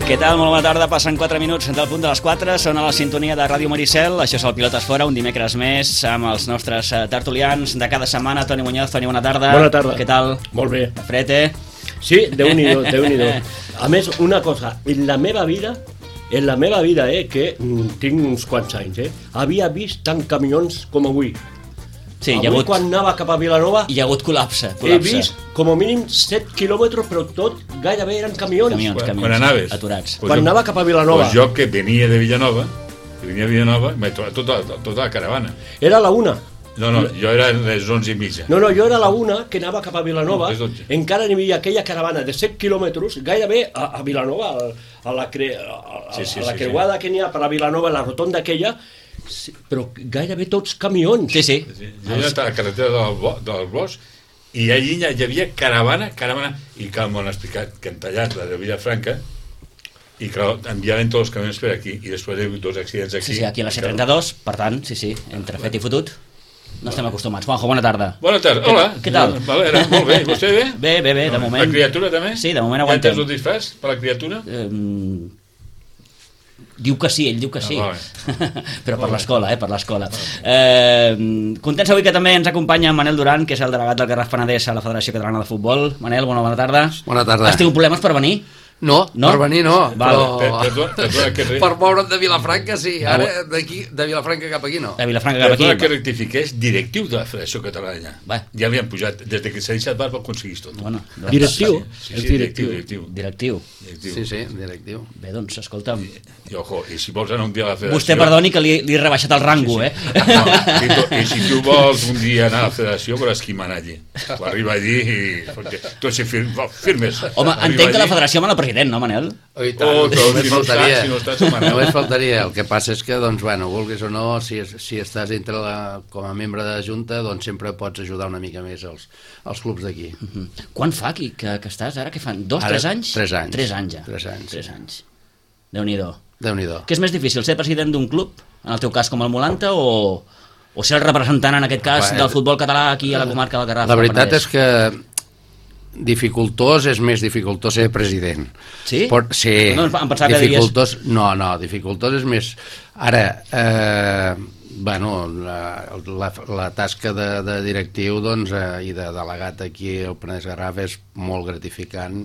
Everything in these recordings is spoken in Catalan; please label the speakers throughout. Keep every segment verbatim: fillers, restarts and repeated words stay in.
Speaker 1: Què tal? Molt bona tarda, passen quatre minuts del punt de les quatre, són a la sintonia de Ràdio Maricel, això és el Pilotes Fora, un dimecres més, amb els nostres tertulians de cada setmana. Toni Muñoz, Toni, bona tarda.
Speaker 2: Bona tarda.
Speaker 1: Què tal?
Speaker 2: Molt bé.
Speaker 1: Fred, eh?
Speaker 2: Sí, Déu-n'hi-do, Déu-n'hi-do. A més, una cosa, en la meva vida, en la meva vida, eh, que tinc uns quants anys, eh, havia vist tant camions com avui.
Speaker 1: Sí,
Speaker 2: avui
Speaker 1: hi ha hagut,
Speaker 2: quan anava cap a Vilanova
Speaker 1: hi ha hagut col·lapse,
Speaker 2: he
Speaker 1: col·lapse.
Speaker 2: vist com a mínim set quilòmetres, però tot gairebé eren camions.
Speaker 1: Camions,
Speaker 3: Quan-
Speaker 1: camions,
Speaker 3: quan anaves?
Speaker 1: aturats.
Speaker 3: Pues
Speaker 2: Quan
Speaker 3: jo-
Speaker 2: anava cap a Vilanova.
Speaker 3: Pues jo que venia de Villanova, que venia de Villanova, m'he trobat tota, tota la caravana.
Speaker 2: Era a la una.
Speaker 3: No, no, jo era a les onze i mitja.
Speaker 2: No, no, jo era a la una que anava cap a Vilanova,
Speaker 3: No, és dotze.
Speaker 2: encara n'hi havia aquella caravana de set quilòmetres, gairebé a, a Vilanova, a, a la, cre, a, a,
Speaker 3: Sí, sí,
Speaker 2: a la
Speaker 3: sí,
Speaker 2: creuada sí. que n'hi ha per a Vilanova, la rotonda aquella, sí, però gairebé tots camions.
Speaker 1: Sí, sí.
Speaker 3: Sí, jo era a la carretera del, Bo, del Bosc i allí hi havia caravana, caravana, i que m'ho han explicat, que han tallat la de Vilafranca, i que enviaven tots els camions per aquí, i després hi ha hagut dos accidents aquí.
Speaker 1: Sí, sí, aquí a la C trenta-dos, per tant, sí, sí, entre fet i fotut, no estem acostumats. Juanjo, bona tarda.
Speaker 3: Bona tarda, hola.
Speaker 1: Què tal?
Speaker 3: Valera, molt bé, vostè bé?
Speaker 1: Bé, bé, bé, de moment.
Speaker 3: La criatura també?
Speaker 1: Sí, de moment
Speaker 3: Ja
Speaker 1: aguantem.
Speaker 3: tens el disfraç per la criatura?
Speaker 1: Eh, diu que sí, ell diu que sí.
Speaker 3: Ah,
Speaker 1: Però per l'escola, eh, per l'escola. Eh, contents avui que també ens acompanya Manel Duran, que és el delegat del Garraf Penedès a la Federació Catalana de Futbol. Manel, bona, bona tarda.
Speaker 4: Bona tarda.
Speaker 1: Has tingut problemes per venir?
Speaker 4: No,
Speaker 1: No?
Speaker 4: no, per venir no,
Speaker 1: Val.
Speaker 4: però
Speaker 3: Per- perdona, perdona que re-
Speaker 4: per moure'm de Vilafranca sí,
Speaker 1: Ah,
Speaker 4: ara d'aquí, de Vilafranca cap aquí no.
Speaker 1: De Vilafranca cap
Speaker 3: Perdona
Speaker 1: aquí.
Speaker 3: que rectifiqués, directiu de la Federació Catalana.
Speaker 1: Va.
Speaker 3: Ja havien pujat, des de que s'ha deixat Barba aconseguís tot.
Speaker 1: Bueno, doncs,
Speaker 2: Directiu?
Speaker 3: Sí,
Speaker 2: És
Speaker 3: sí,
Speaker 2: directiu.
Speaker 3: directiu.
Speaker 1: Directiu.
Speaker 3: directiu.
Speaker 4: Sí, sí, directiu.
Speaker 1: Bé, doncs, escolta'm,
Speaker 3: I, ojo, i si vols anar un dia a la Federació...
Speaker 1: vostè perdoni que li, li he rebaixat el rango, eh?
Speaker 3: No, i, to, I si tu vols un dia anar a la Federació, veuràs qui mana allí. Tu arriba allí i... Tu si fir, firmes.
Speaker 1: Home,
Speaker 3: Arriba
Speaker 1: entenc que la
Speaker 3: allí.
Speaker 1: federació mana el president, no, Manel?
Speaker 4: Oh, i tant,
Speaker 3: Oh, però
Speaker 4: només
Speaker 3: si no
Speaker 4: faltaria.
Speaker 3: estàs, si no estàs, ho maneu.
Speaker 4: Només faltaria. El que passa és que, doncs, bueno, vulguis o no, si, si estàs entre la, com a membre de la Junta, doncs sempre pots ajudar una mica més als, als clubs d'aquí.
Speaker 1: Mm. Quan fa aquí que, que estàs ara? Què fan? Dos,
Speaker 4: Ara,
Speaker 1: tres anys?
Speaker 4: tres anys.
Speaker 1: Tres anys ja.
Speaker 4: Tres anys.
Speaker 1: Tres anys. Déu-n'hi-do.
Speaker 4: Déu-n'hi-do.
Speaker 1: Què és més difícil, ser president d'un club, en el teu cas com el Molanta, o, o ser el representant, en aquest cas,
Speaker 4: Bé,
Speaker 1: del futbol català aquí a la comarca del Garraf?
Speaker 4: La veritat és que dificultós és més dificultós ser president.
Speaker 1: Sí?
Speaker 4: Pot, sí.
Speaker 1: No, em pensava que
Speaker 4: dificultós, no, no, dificultós és més... Ara, eh, bueno, la, la, la tasca de, de directiu doncs, eh, i de delegat aquí al Penedès Garraf és molt gratificant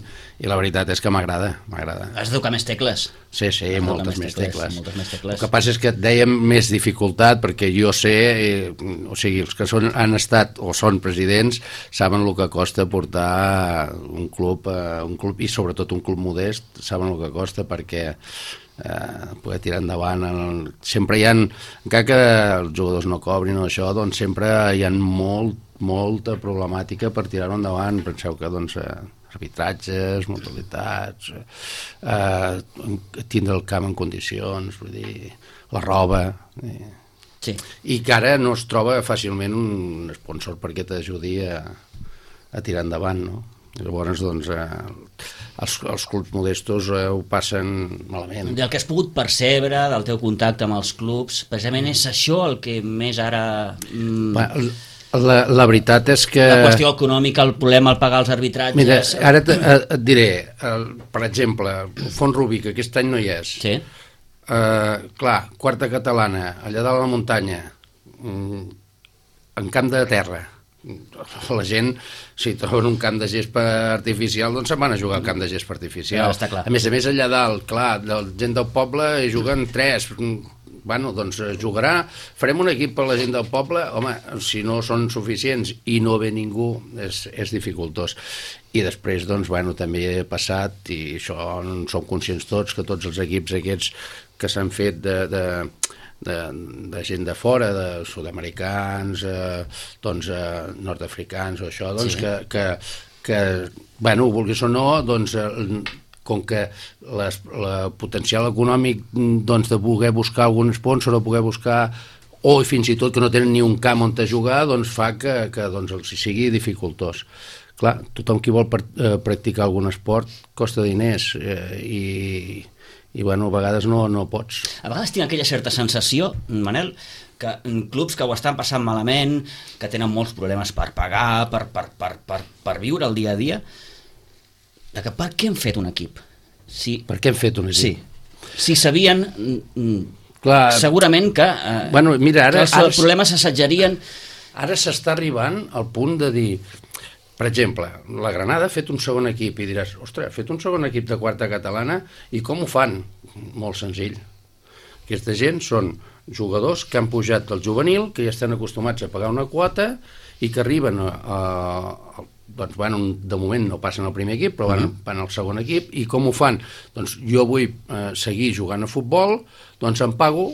Speaker 4: i la veritat és que m'agrada, m'agrada.
Speaker 1: Has de tocar més tecles.
Speaker 4: Sí, sí,
Speaker 1: Has de tocar
Speaker 4: moltes més tecles.
Speaker 1: Moltes més tecles.
Speaker 4: El que passa és que et dèiem més dificultat perquè jo sé, eh, o sigui, els que són, han estat o són presidents saben el que costa portar un club, eh, un club i sobretot un club modest, saben el que costa perquè eh, poder tirar endavant. El, sempre hi ha, encara que els jugadors no cobrin o això, doncs sempre hi ha molt, molta problemàtica per tirar-ho endavant. Penseu que doncs, eh, arbitratges, mortalitats, eh, tindre el camp en condicions, vull dir, la roba... Eh.
Speaker 1: Sí.
Speaker 4: I que ara no es troba fàcilment un sponsor perquè t'ajudi a, a tirar endavant, no? Llavors, doncs, eh, els, els clubs modestos eh, ho passen malament.
Speaker 1: Del que has pogut percebre, del teu contacte amb els clubs, precisament és això el que més ara... Mm,
Speaker 4: Va, la, la veritat és que...
Speaker 1: la qüestió econòmica, el problema, el pagar els arbitratges...
Speaker 4: Mira, ara et, et diré, el, per exemple, Font Rubí, que aquest any no hi és.
Speaker 1: Sí.
Speaker 4: Uh, clar, quarta catalana, allà dalt a la muntanya, mm, en camp de terra. La gent, si troben un camp de gespa artificial, doncs se'n van a jugar al camp de gespa artificial.
Speaker 1: Ja, està clar.
Speaker 4: A més a més, allà dalt, clar, la gent del poble hi juguen tres. Bueno, doncs jugarà, farem un equip per la gent del poble. Home, si no són suficients i no ve ningú, és, és dificultós. I després, doncs, bueno, també he passat, i això en som conscients tots, que tots els equips aquests que s'han fet de, de, de, de gent de fora, de sud-americans, eh, doncs, eh, nord-africans o això, doncs,
Speaker 1: Sí.
Speaker 4: que, que, que, bueno, vulguis o no, doncs, eh, com que les, la potencial econòmic doncs, de poder buscar algun sponsor o poder buscar o fins i tot que no tenen ni un camp on te jugar, doncs fa que, que doncs, els sigui dificultós. Clar, tothom qui vol per, eh, practicar algun esport costa diners eh, i, i bueno, a vegades no, no pots.
Speaker 1: A vegades tinc aquella certa sensació, Manel, que clubs que ho estan passant malament, que tenen molts problemes per pagar, per, per, per, per, per viure el dia a dia, de que per què hem fet un equip? si...
Speaker 4: Per què hem fet un equip?
Speaker 1: Sí. Si sabien...
Speaker 4: Clar,
Speaker 1: segurament que... Eh,
Speaker 4: bueno, mira, ara,
Speaker 1: que els
Speaker 4: ara,
Speaker 1: problemes s'assatjarien...
Speaker 4: Ara s'està arribant al punt de dir... Per exemple, la Granada ha fet un segon equip i diràs, ostres, ha fet un segon equip de quarta catalana i com ho fan? Molt senzill. Aquesta gent són jugadors que han pujat del juvenil, que ja estan acostumats a pagar una quota i que arriben a... a doncs van, de moment no passen al primer equip, però van, uh-huh. van al segon equip, i com ho fan? Doncs jo vull eh, seguir jugant a futbol, doncs em pago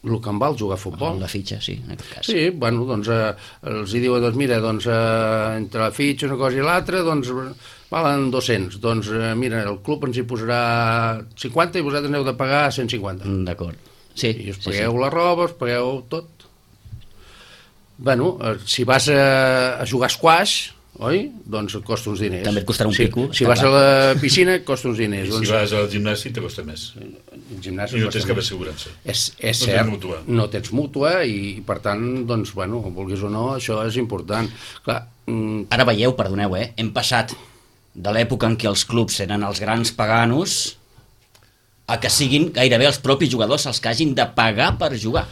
Speaker 4: el que em val jugar a futbol.
Speaker 1: La fitxa, sí, en aquest cas.
Speaker 4: Sí, bueno, doncs eh, els hi diuen, doncs mira, doncs eh, entre la fitxa, una cosa i l'altra, doncs valen dos-cents. Doncs eh, mira, el club ens hi posarà cinquanta i vosaltres n'heu de pagar cent cinquanta.
Speaker 1: Mm, d'acord. Sí,
Speaker 4: I us pagueu
Speaker 1: sí, sí.
Speaker 4: la roba, us pagueu tot. Bueno, eh, si vas a, a jugar a squash, oi? Doncs et costa uns diners.
Speaker 1: També et costarà un
Speaker 4: si,
Speaker 1: pico.
Speaker 4: Si vas clar. a la piscina et costa uns diners.
Speaker 3: I
Speaker 4: doncs...
Speaker 3: si vas al gimnasi te costa més.
Speaker 4: El gimnàs
Speaker 3: I no tens cap assegurança.
Speaker 4: És, és
Speaker 3: no
Speaker 4: cert,
Speaker 3: tens mútua.
Speaker 4: no tens mútua i, i per tant, doncs, bueno, vulguis o no, això és important. Clar, mm...
Speaker 1: Ara veieu, perdoneu, eh? hem passat de l'època en què els clubs eren els grans paganos a que siguin gairebé els propis jugadors els que hagin de pagar per jugar.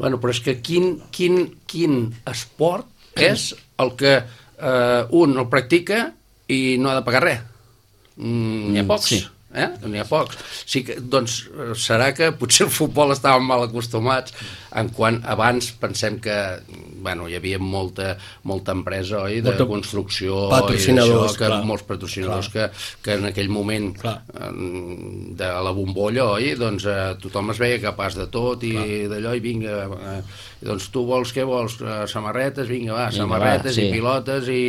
Speaker 4: Bueno, però és que quin, quin, quin esport és el que eh, un el practica i no ha de pagar res? Mm, n'hi ha pocs.
Speaker 1: Sí.
Speaker 4: Eh? N'hi ha pocs. Sí que, doncs serà que potser el futbol estàvem mal acostumats en quan abans pensem que bueno, hi havia molta, molta empresa, oi, de molta construcció
Speaker 2: patrocinadors,
Speaker 4: i això, que,
Speaker 2: clar.
Speaker 4: molts patrocinadors que, que en aquell moment clar. de la bombolla, oi, doncs eh, tothom es veia capaç de tot i d'allò, i vinga, eh, doncs tu vols, què vols? Eh, samarretes, vinga, va, vinga, samarretes va, sí. i pilotes i,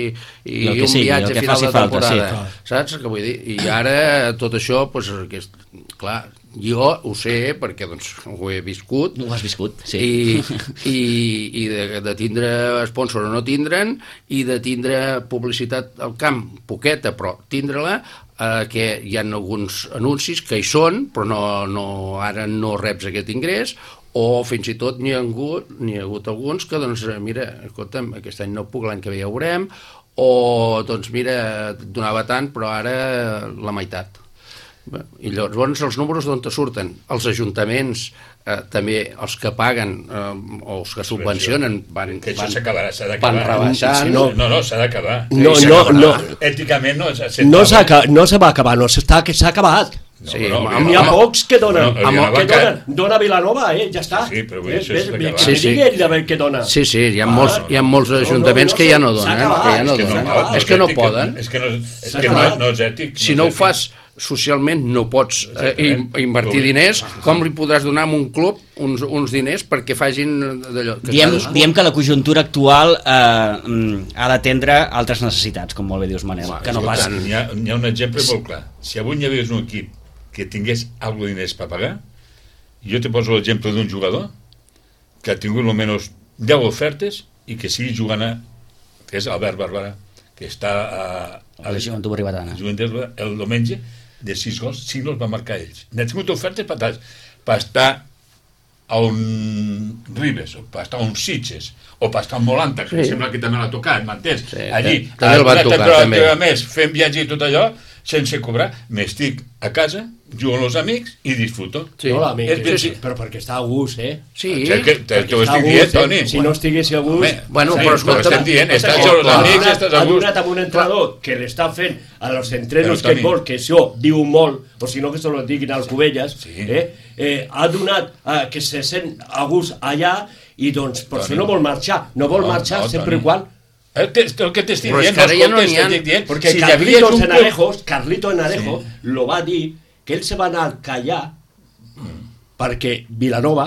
Speaker 4: i, i un sigui, viatge a final de temporada, falta, sí, saps què vull dir? I ara tot això, doncs, aquest, clar, jo ho sé perquè doncs, ho he viscut.
Speaker 1: Ho has viscut, sí.
Speaker 4: I, i, i de, de tindre sponsor o no tindre'n, i de tindre publicitat al camp, poqueta, però tindre-la, eh, que hi ha alguns anuncis que hi són, però no, no, ara no reps aquest ingrés, o fins i tot n'hi ha hagut, n'hi ha hagut alguns que, doncs, mira, escolta'm, aquest any no puc, l'any que ve ja veurem, o, doncs, mira, donava tant, però ara la meitat. I llavors els números d'on te surten? Els ajuntaments, eh, també els que paguen eh, o els que subvencionen van,
Speaker 3: que això
Speaker 4: van,
Speaker 3: s'acabarà, s'ha d'acabar.
Speaker 4: van rebaixant.
Speaker 3: No, no, no s'ha d'acabar.
Speaker 2: No, no, no.
Speaker 3: Èticament no és
Speaker 2: no, no se va acabar, no s'ha acabat.
Speaker 3: No,
Speaker 2: sí,
Speaker 3: no,
Speaker 2: n'hi ha pocs que donen,
Speaker 3: no, no,
Speaker 2: que donen, dona Vilanova, eh, ja està.
Speaker 3: Sí, però vull
Speaker 2: eh,
Speaker 3: dir, això és d'acabar.
Speaker 2: Sí, sí. Ell de veure què dona.
Speaker 4: Sí, sí, hi ha, ah, molts, hi ha molts ajuntaments no, no, no, que ja no donen, que ja no
Speaker 3: és que
Speaker 4: donen.
Speaker 3: No, no,
Speaker 4: és que no poden.
Speaker 3: És que no, és que no, no és ètic.
Speaker 4: Si no ho fas socialment no pots eh, invertir diners, com li podràs donar a un club uns, uns diners perquè facin d'allò?
Speaker 1: Diem, diem que la conjuntura actual eh, ha d'atendre altres necessitats, com molt bé dius, Manel.
Speaker 3: Va,
Speaker 1: que no pas...
Speaker 3: Hi ha, hi ha un exemple molt clar. Si avui hi hagués un equip que tingués alguna de diners per pagar, jo te poso l'exemple d'un jugador que ha tingut almenys deu ofertes i que sigui jugant a, que és Albert Barbara, que està a, a
Speaker 1: la Joventut Ribadana.
Speaker 3: El diumenge de sis gols, cinc gols va marcar ells. N'ha tingut ofertes per, per estar a un Ribes, o per estar a un Sitges, o per estar a un Molanta, que sí. Sembla que també l'ha tocat, m'entens? Sí, Allí,
Speaker 4: també el van tocar, també.
Speaker 3: Més, fent viatge i tot allò, sense cobrar, m'estic a casa, jugo amb els amics i disfruto.
Speaker 2: Sí, no, l'amic,
Speaker 3: sí,
Speaker 2: sí, però perquè està a gust, eh?
Speaker 4: Sí,
Speaker 3: que, que, te, te ho estic dient, Toni.
Speaker 2: Si no estiguessi a gust...
Speaker 3: Home,
Speaker 4: bueno,
Speaker 3: sí,
Speaker 4: però escolta...
Speaker 3: estem dient, estàs amb els amics, estàs a
Speaker 2: ha
Speaker 3: gust.
Speaker 2: donat amb un entrenador que l'està fent a los entrenos que vol, que això diu molt, o si no que se lo diguin als Cubelles,
Speaker 3: sí.
Speaker 2: eh? Eh, ha donat eh, que se sent a gust allà i doncs per això no vol marxar, no vol
Speaker 3: no,
Speaker 2: marxar
Speaker 3: no,
Speaker 2: sempre i quan...
Speaker 3: El que, el que t'estic dient,
Speaker 4: no ja no n'hi ha,
Speaker 3: dient,
Speaker 2: perquè
Speaker 3: si
Speaker 2: Carlitos
Speaker 3: un
Speaker 2: Enarejo, Carlito Enarejo
Speaker 3: sí.
Speaker 2: lo va dir que ell se va anar a callar mm. perquè Vilanova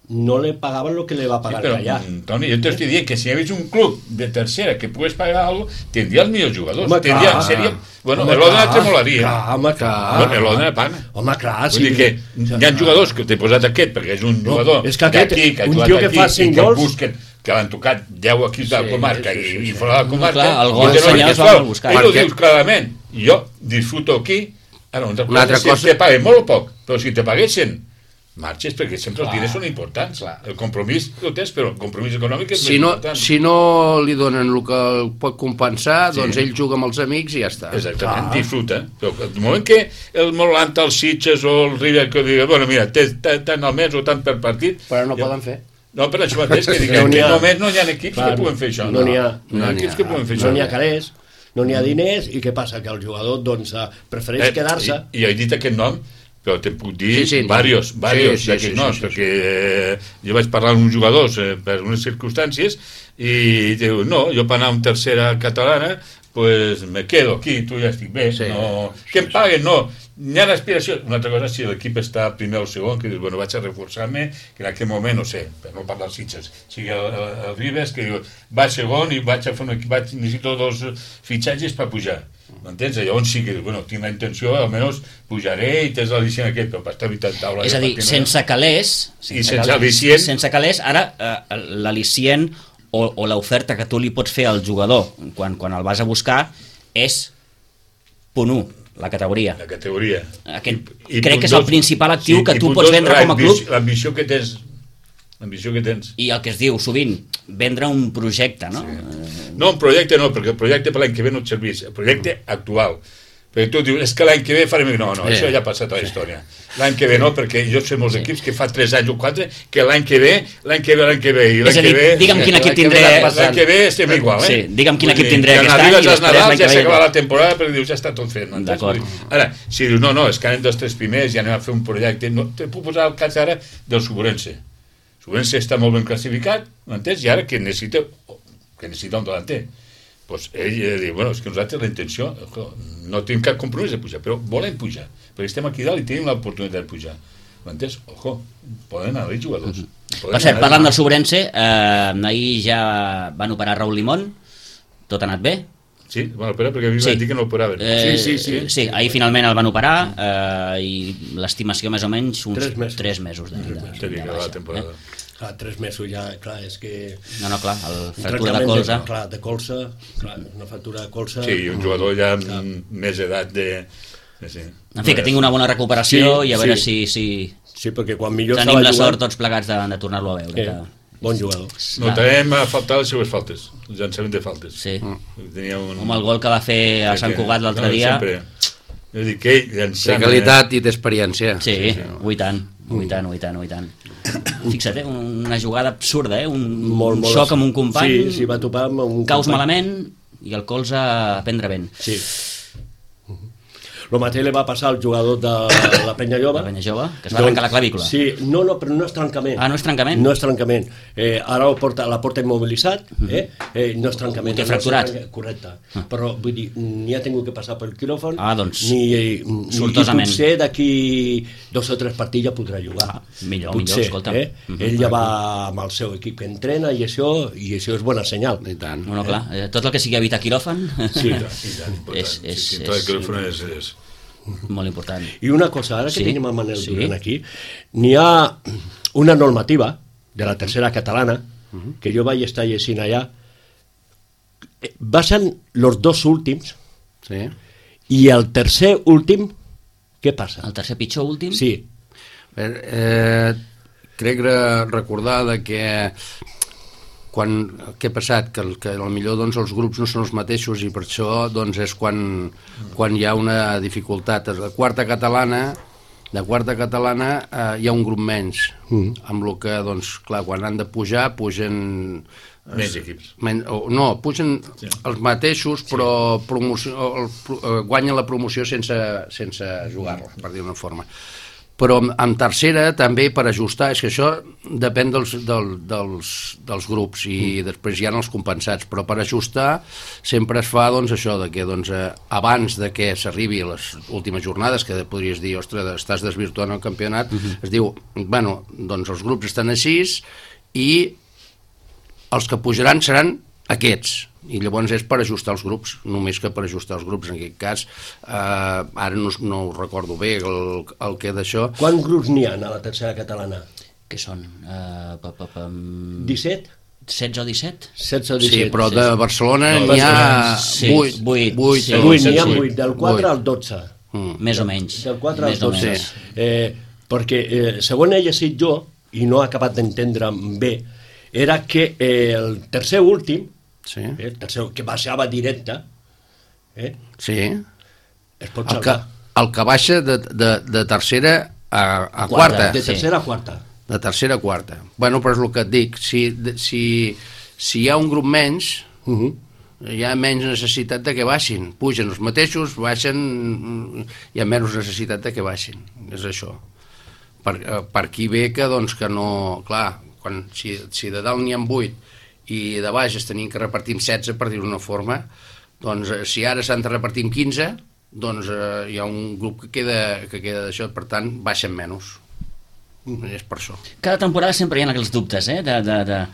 Speaker 2: no le pagaven lo que le va a pagar sí,
Speaker 3: però,
Speaker 2: callar.
Speaker 3: Toni, jo t'estic dient que si hi hagués un club de tercera que pogués pagar alguna cosa, tindria els millors jugadors.
Speaker 2: Home,
Speaker 3: tindria,
Speaker 2: clar.
Speaker 3: seria, bueno,
Speaker 2: Home,
Speaker 3: l'Odena
Speaker 2: clar,
Speaker 3: te molaria.
Speaker 2: clar, home, clar.
Speaker 3: Bueno, l'Odena paga.
Speaker 2: Home, clar,
Speaker 3: Vull
Speaker 2: sí.
Speaker 3: dir que hi ha jugadors que t'he posat aquest perquè és un
Speaker 2: No,
Speaker 3: jugador
Speaker 2: és que aquest,
Speaker 3: d'aquí, que ha
Speaker 2: un
Speaker 3: jugat
Speaker 2: tio que
Speaker 3: aquí,
Speaker 2: fa cinc
Speaker 3: i que el
Speaker 2: gols-
Speaker 3: busquen, que l'han tocat deu equips de la
Speaker 2: Sí,
Speaker 3: comarca
Speaker 2: sí, sí,
Speaker 3: i,
Speaker 2: sí.
Speaker 3: i fora de la comarca,
Speaker 1: Clar, el
Speaker 3: i
Speaker 1: gol
Speaker 3: que no
Speaker 1: senyals
Speaker 3: és
Speaker 1: van
Speaker 3: sol.
Speaker 1: a buscar.
Speaker 3: Ell ho
Speaker 4: Perquè-
Speaker 3: dius clarament. Jo disfruto aquí, ara, una
Speaker 4: Una altra
Speaker 3: si
Speaker 4: cosa-
Speaker 3: te paguen molt o poc, però si te paguessin marxes, perquè sempre els
Speaker 4: Clar.
Speaker 3: diners són importants.
Speaker 4: Clar.
Speaker 3: El compromís ho tens, però el compromís econòmic és
Speaker 4: Si
Speaker 3: més
Speaker 4: no,
Speaker 3: important.
Speaker 4: si no li donen el que el pot compensar,
Speaker 3: Sí.
Speaker 4: doncs ell juga amb els amics i ja està.
Speaker 3: Exactament, disfruta. Però el moment que el Molanta, els Sitges o el River que digui, bueno, mira, té tant al mes o tant per partit...
Speaker 4: Però no
Speaker 3: ja...
Speaker 4: poden fer.
Speaker 3: No, per això mateix, que dic,
Speaker 2: No
Speaker 3: en
Speaker 2: n'hi
Speaker 3: aquest
Speaker 2: ha.
Speaker 3: moment no hi ha equips
Speaker 2: Clar,
Speaker 3: que puguen fer això.
Speaker 2: no n'hi ha.
Speaker 3: No hi ha equips que puguen fer això.
Speaker 2: No n'hi ha calés, no n'hi ha diners, i què passa? Que el jugador doncs, eh, prefereix
Speaker 3: Eh,
Speaker 2: quedar-se...
Speaker 3: I, I he dit aquest nom, però te puc dir
Speaker 4: Sí, sí, no.
Speaker 3: varios, varios
Speaker 4: Sí, sí,
Speaker 3: d'aquests
Speaker 4: sí,
Speaker 3: noms,
Speaker 4: sí, sí,
Speaker 3: perquè eh, jo vaig parlar amb uns jugadors eh, per unes circumstàncies i diu, no, jo per anar a una tercera catalana pues me quedo aquí, tu ja estic bé,
Speaker 4: Sí.
Speaker 3: no... que em paguen, no, hi ha aspiració. Una altra cosa, si l'equip està primer o segon, que dius, bueno, vaig a reforçar-me, que en aquell moment, no sé, per no parlar dels Sitges, sigui el, el, el Ribes, que diu, vaig segon i vaig a fer un equip, vaig, necessito dos fitxatges per pujar. M'entens? Llavors sí que, bueno, tinc la intenció, almenys pujaré i tens l'al·licient aquest, però per estar evitant taula...
Speaker 1: És a dir, sense calés...
Speaker 3: I sense al·licient...
Speaker 1: Sense calés, ara eh, l'al·licient o, o l'oferta que tu li pots fer al jugador quan, quan el vas a buscar és punt u, la categoria.
Speaker 3: La categoria.
Speaker 1: Aquest, crec que és el principal actiu que tu pots vendre com a club.
Speaker 3: L'ambició que tens. L'ambició que tens.
Speaker 1: I el que es diu sovint, vendre un projecte, no?
Speaker 3: Sí. No, un projecte no, perquè el projecte per l'any que ve no et serveix. El projecte actual. Perquè tu dius, és que l'any que ve farem... No, no,
Speaker 4: Eh.
Speaker 3: això ja ha passat a la història. L'any que ve no, perquè jo sé molts equips que fa tres anys o quatre, que l'any que ve, l'any que ve, l'any que ve, i l'any
Speaker 1: És a
Speaker 3: que
Speaker 1: dir,
Speaker 3: ve...
Speaker 1: digue'm quin equip
Speaker 4: l'any que ve
Speaker 1: tindré...
Speaker 4: l'any
Speaker 3: L'any que ve estem igual, eh?
Speaker 1: Sí, digue'm quin
Speaker 3: Vull
Speaker 1: equip
Speaker 3: dir,
Speaker 1: tindré
Speaker 3: quan
Speaker 1: aquest any
Speaker 3: arribes
Speaker 1: i
Speaker 3: als
Speaker 1: després
Speaker 3: Nadals
Speaker 1: l'any
Speaker 3: ja
Speaker 1: que ve...
Speaker 3: s'acaba la temporada perquè dius, ja està tot fet. m'entens?
Speaker 1: D'acord.
Speaker 3: Vull dir, Ara, si dius, no, no, és que anem dels tres primers i anem a fer un projecte... No, te puc posar el cas ara del Suburense. Suburense està molt ben classificat, m'entens? I ara que necessita, que necessita un delanter. Pues ell eh, diu, bueno, és que nosaltres la intenció, ojo, no tenim cap compromís de pujar, però volem pujar, perquè estem aquí dalt i tenim l'oportunitat de pujar. M'entens? Ojo, poden anar els jugadors.
Speaker 1: Per cert, parlant del Sobrense, eh, ahir ja van operar Raúl Limón, tot ha anat bé?
Speaker 3: Sí, van operar perquè a mi
Speaker 1: Sí.
Speaker 3: van dir que no operaven.
Speaker 1: Eh,
Speaker 2: Sí, sí, sí.
Speaker 1: Sí, ahir finalment el van operar eh, i l'estimació més o menys uns
Speaker 2: Tres mesos.
Speaker 1: tres mesos de, de,
Speaker 3: Té que
Speaker 1: de
Speaker 3: acabar la
Speaker 1: baixa,
Speaker 3: temporada.
Speaker 1: eh?
Speaker 2: Clar, tres mesos ja, clar, és que...
Speaker 1: No, no, clar, el
Speaker 2: un
Speaker 1: fractura de
Speaker 2: tractament
Speaker 1: colze...
Speaker 2: clar, de colze, clar, una fractura de colze...
Speaker 3: Sí, i un jugador ja amb més edat de... Sí.
Speaker 1: En fi, que tingui una bona recuperació
Speaker 2: Sí,
Speaker 1: i a veure
Speaker 2: sí.
Speaker 1: si, si
Speaker 2: Sí, perquè quan millor
Speaker 1: tenim
Speaker 2: estava
Speaker 1: la
Speaker 2: jugant...
Speaker 1: sort tots plegats de, de tornar-lo a veure.
Speaker 2: Eh,
Speaker 1: Que...
Speaker 2: bon jugador.
Speaker 3: Notarem a faltar les seves faltes, el llançament de faltes.
Speaker 1: Sí.
Speaker 3: Tenia un...
Speaker 1: Home, el gol que va fer a Sant Cugat l'altre
Speaker 3: no,
Speaker 1: dia...
Speaker 3: Sempre. És a dir, que ell
Speaker 4: Té
Speaker 3: llançant...
Speaker 4: qualitat i té experiència.
Speaker 1: Sí, sí, sí. Ui tant, ui tant, ui tant, ui tant. Fixa't, eh, una jugada absurda, eh? Un,
Speaker 2: Molt,
Speaker 1: un
Speaker 2: molt
Speaker 1: xoc amb un company,
Speaker 2: Sí, sí, va topar amb un
Speaker 1: caus
Speaker 2: company.
Speaker 1: malament i el colze a prendre vent.
Speaker 2: Sí. El mateix li va passar al jugador de la Penya Jove.
Speaker 1: La penya jove, que es va arrencar la clavícula.
Speaker 2: Sí, no, no, però no és trencament.
Speaker 1: Ah, no és trencament?
Speaker 2: No és trencament. Eh, ara el porta, la porta immobilitzat, eh? eh no és trencament.
Speaker 1: Ho té
Speaker 2: no és
Speaker 1: fracturat.
Speaker 2: trenca- Correcte. Però, vull dir, ni ha tingut que passar pel quiròfan,
Speaker 1: Ah, doncs,
Speaker 2: ni, ni,
Speaker 1: sortosament.
Speaker 2: i potser d'aquí dos o tres partits ja podrà jugar.
Speaker 1: Ah, millor,
Speaker 2: potser,
Speaker 1: millor, escolta'm.
Speaker 2: Eh?
Speaker 1: Mhm.
Speaker 2: Ell ja va amb el seu equip que entrena i això, i això és bona senyal.
Speaker 4: I tant.
Speaker 1: Bueno, clar, eh, tot el que sigui evitar quiròfan
Speaker 2: Sí.
Speaker 3: I tant, important.
Speaker 1: és, és,
Speaker 3: sí, sí,
Speaker 1: és,
Speaker 3: tot el quiròfan és, és...
Speaker 1: molt important.
Speaker 2: I una cosa, ara que
Speaker 1: Sí,
Speaker 2: tenim el Manel
Speaker 1: sí.
Speaker 2: Duran aquí, n'hi ha una normativa de la tercera catalana, que jo vaig estar llegint allà, eh, basen los dos últims,
Speaker 4: Sí.
Speaker 2: i el tercer últim, què passa?
Speaker 1: El tercer pitjor últim?
Speaker 2: Sí,
Speaker 4: Eh, eh, crec re- recordar de que quan, què ha passat? Que, el, que potser doncs, els grups no són els mateixos i per això doncs, és quan, quan hi ha una dificultat. La quarta catalana, la quarta catalana eh, hi ha un grup menys, mm. amb el que, doncs, clar, quan han de pujar, pugen...
Speaker 3: Menys equips.
Speaker 4: Men, o, no, pugen
Speaker 3: Sí.
Speaker 4: els mateixos, però promoció, el, el, guanyen la promoció sense, sense jugar-la, per dir-ho d'una forma. Però en, en tercera també per ajustar, és que això depèn dels, del, dels, dels grups i mm. després hi ha els compensats, però per ajustar sempre es fa doncs, això de que doncs, eh, abans de que s'arribi a les últimes jornades, que podries dir, ostres, estàs desvirtuant el campionat, mm-hmm. es diu, bueno, doncs els grups estan així i els que pujaran seran aquests, i llavors és per ajustar els grups, només que per ajustar els grups. En aquest cas, eh, ara no, no ho recordo bé el, el que d'això.
Speaker 2: quants grups n'hi ha a la tercera catalana?
Speaker 1: Què són? Uh, pa, pa, pa,
Speaker 2: disset?
Speaker 1: setze o disset?
Speaker 2: setze o
Speaker 4: Sí,
Speaker 2: disset?
Speaker 4: però de Barcelona
Speaker 3: No,
Speaker 4: n'hi ha
Speaker 1: sí,
Speaker 4: vuit.
Speaker 1: vuit,
Speaker 4: vuit,
Speaker 1: sí.
Speaker 2: vuit, n'hi ha
Speaker 3: vuit.
Speaker 2: vuit, del quatre
Speaker 4: Vuit.
Speaker 2: al dotze.
Speaker 4: Mm.
Speaker 1: Més o menys.
Speaker 2: Del quatre al
Speaker 1: Més o
Speaker 2: dotze.
Speaker 1: menys.
Speaker 2: Eh, perquè eh, segons he llegit jo, i no he acabat d'entendre bé, era que eh, el tercer últim,
Speaker 4: Sí.
Speaker 2: eh, el tercer, que baixava directe, eh,
Speaker 4: Sí.
Speaker 2: es pot
Speaker 4: El que,
Speaker 2: salvar.
Speaker 4: el que baixa de, de, de tercera a, a
Speaker 1: Quarta,
Speaker 4: quarta.
Speaker 2: De
Speaker 1: sí.
Speaker 2: tercera a quarta.
Speaker 4: De tercera a quarta. Bueno, però és el que et dic. Si, si, si hi ha un grup menys,
Speaker 2: Uh -huh.
Speaker 4: hi ha menys necessitat de que baixin. Pugen els mateixos, baixen, hi ha menys necessitat de que baixin. És això. Per, per aquí ve que, doncs, que no... Clar, quan, si, si de dalt n'hi ha vuit i de baix es tenien que repartir amb setze, per dir-ho d'una forma, doncs si ara s'han de repartir amb quinze, doncs eh, hi ha un grup que queda, que queda d'això, per tant, baixen menys. És per això.
Speaker 1: Cada temporada sempre hi ha aquells dubtes, eh? De, de, de,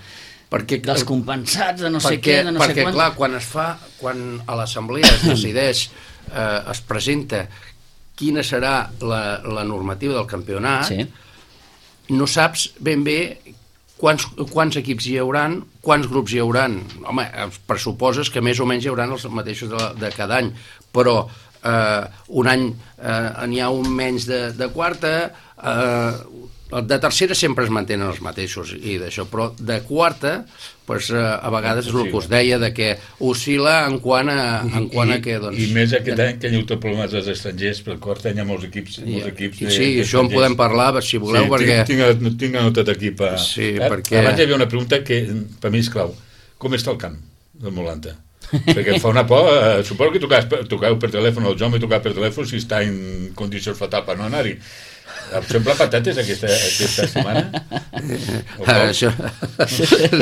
Speaker 4: Perquè,
Speaker 1: dels compensats, de no sé
Speaker 4: perquè,
Speaker 1: què, de no
Speaker 4: perquè,
Speaker 1: sé quant.
Speaker 4: clar, quan es fa, quan a l'assemblea es decideix, eh, es presenta quina serà la, la normativa del campionat,
Speaker 1: Sí.
Speaker 4: no saps ben bé quants, quants equips hi hauran, quants grups hi hauran. Home, pressuposes que més o menys hi hauran els mateixos de, de cada any, però eh, un any eh, n'hi ha un menys de, de quarta, eh, de tercera sempre es mantenen els mateixos i d'això, però de quarta pues, eh, a vegades és el que us deia de que oscil·la en quant a, en quant a
Speaker 3: I,
Speaker 4: que doncs,
Speaker 3: I més aquest any que hi ha hagut problemes dels estrangers, pel quart any hi ha molts equips, molts equips
Speaker 4: i,
Speaker 3: de,
Speaker 4: sí, això en podem parlar si voleu,
Speaker 3: sí,
Speaker 4: perquè
Speaker 3: tinc, tinc, tinc anotat aquí per...
Speaker 4: Sí,
Speaker 3: eh?
Speaker 4: perquè-
Speaker 3: Abans hi havia una pregunta que per mi és clau. Com està el camp del Molanta? Perquè em fa una por, eh, suposo que tocau, tocau per telèfon, el Jaume tocau per telèfon si està en condicions fatals per no anar-hi. Em sembla patates aquesta, aquesta setmana? O
Speaker 4: Ah,
Speaker 3: com?
Speaker 4: això,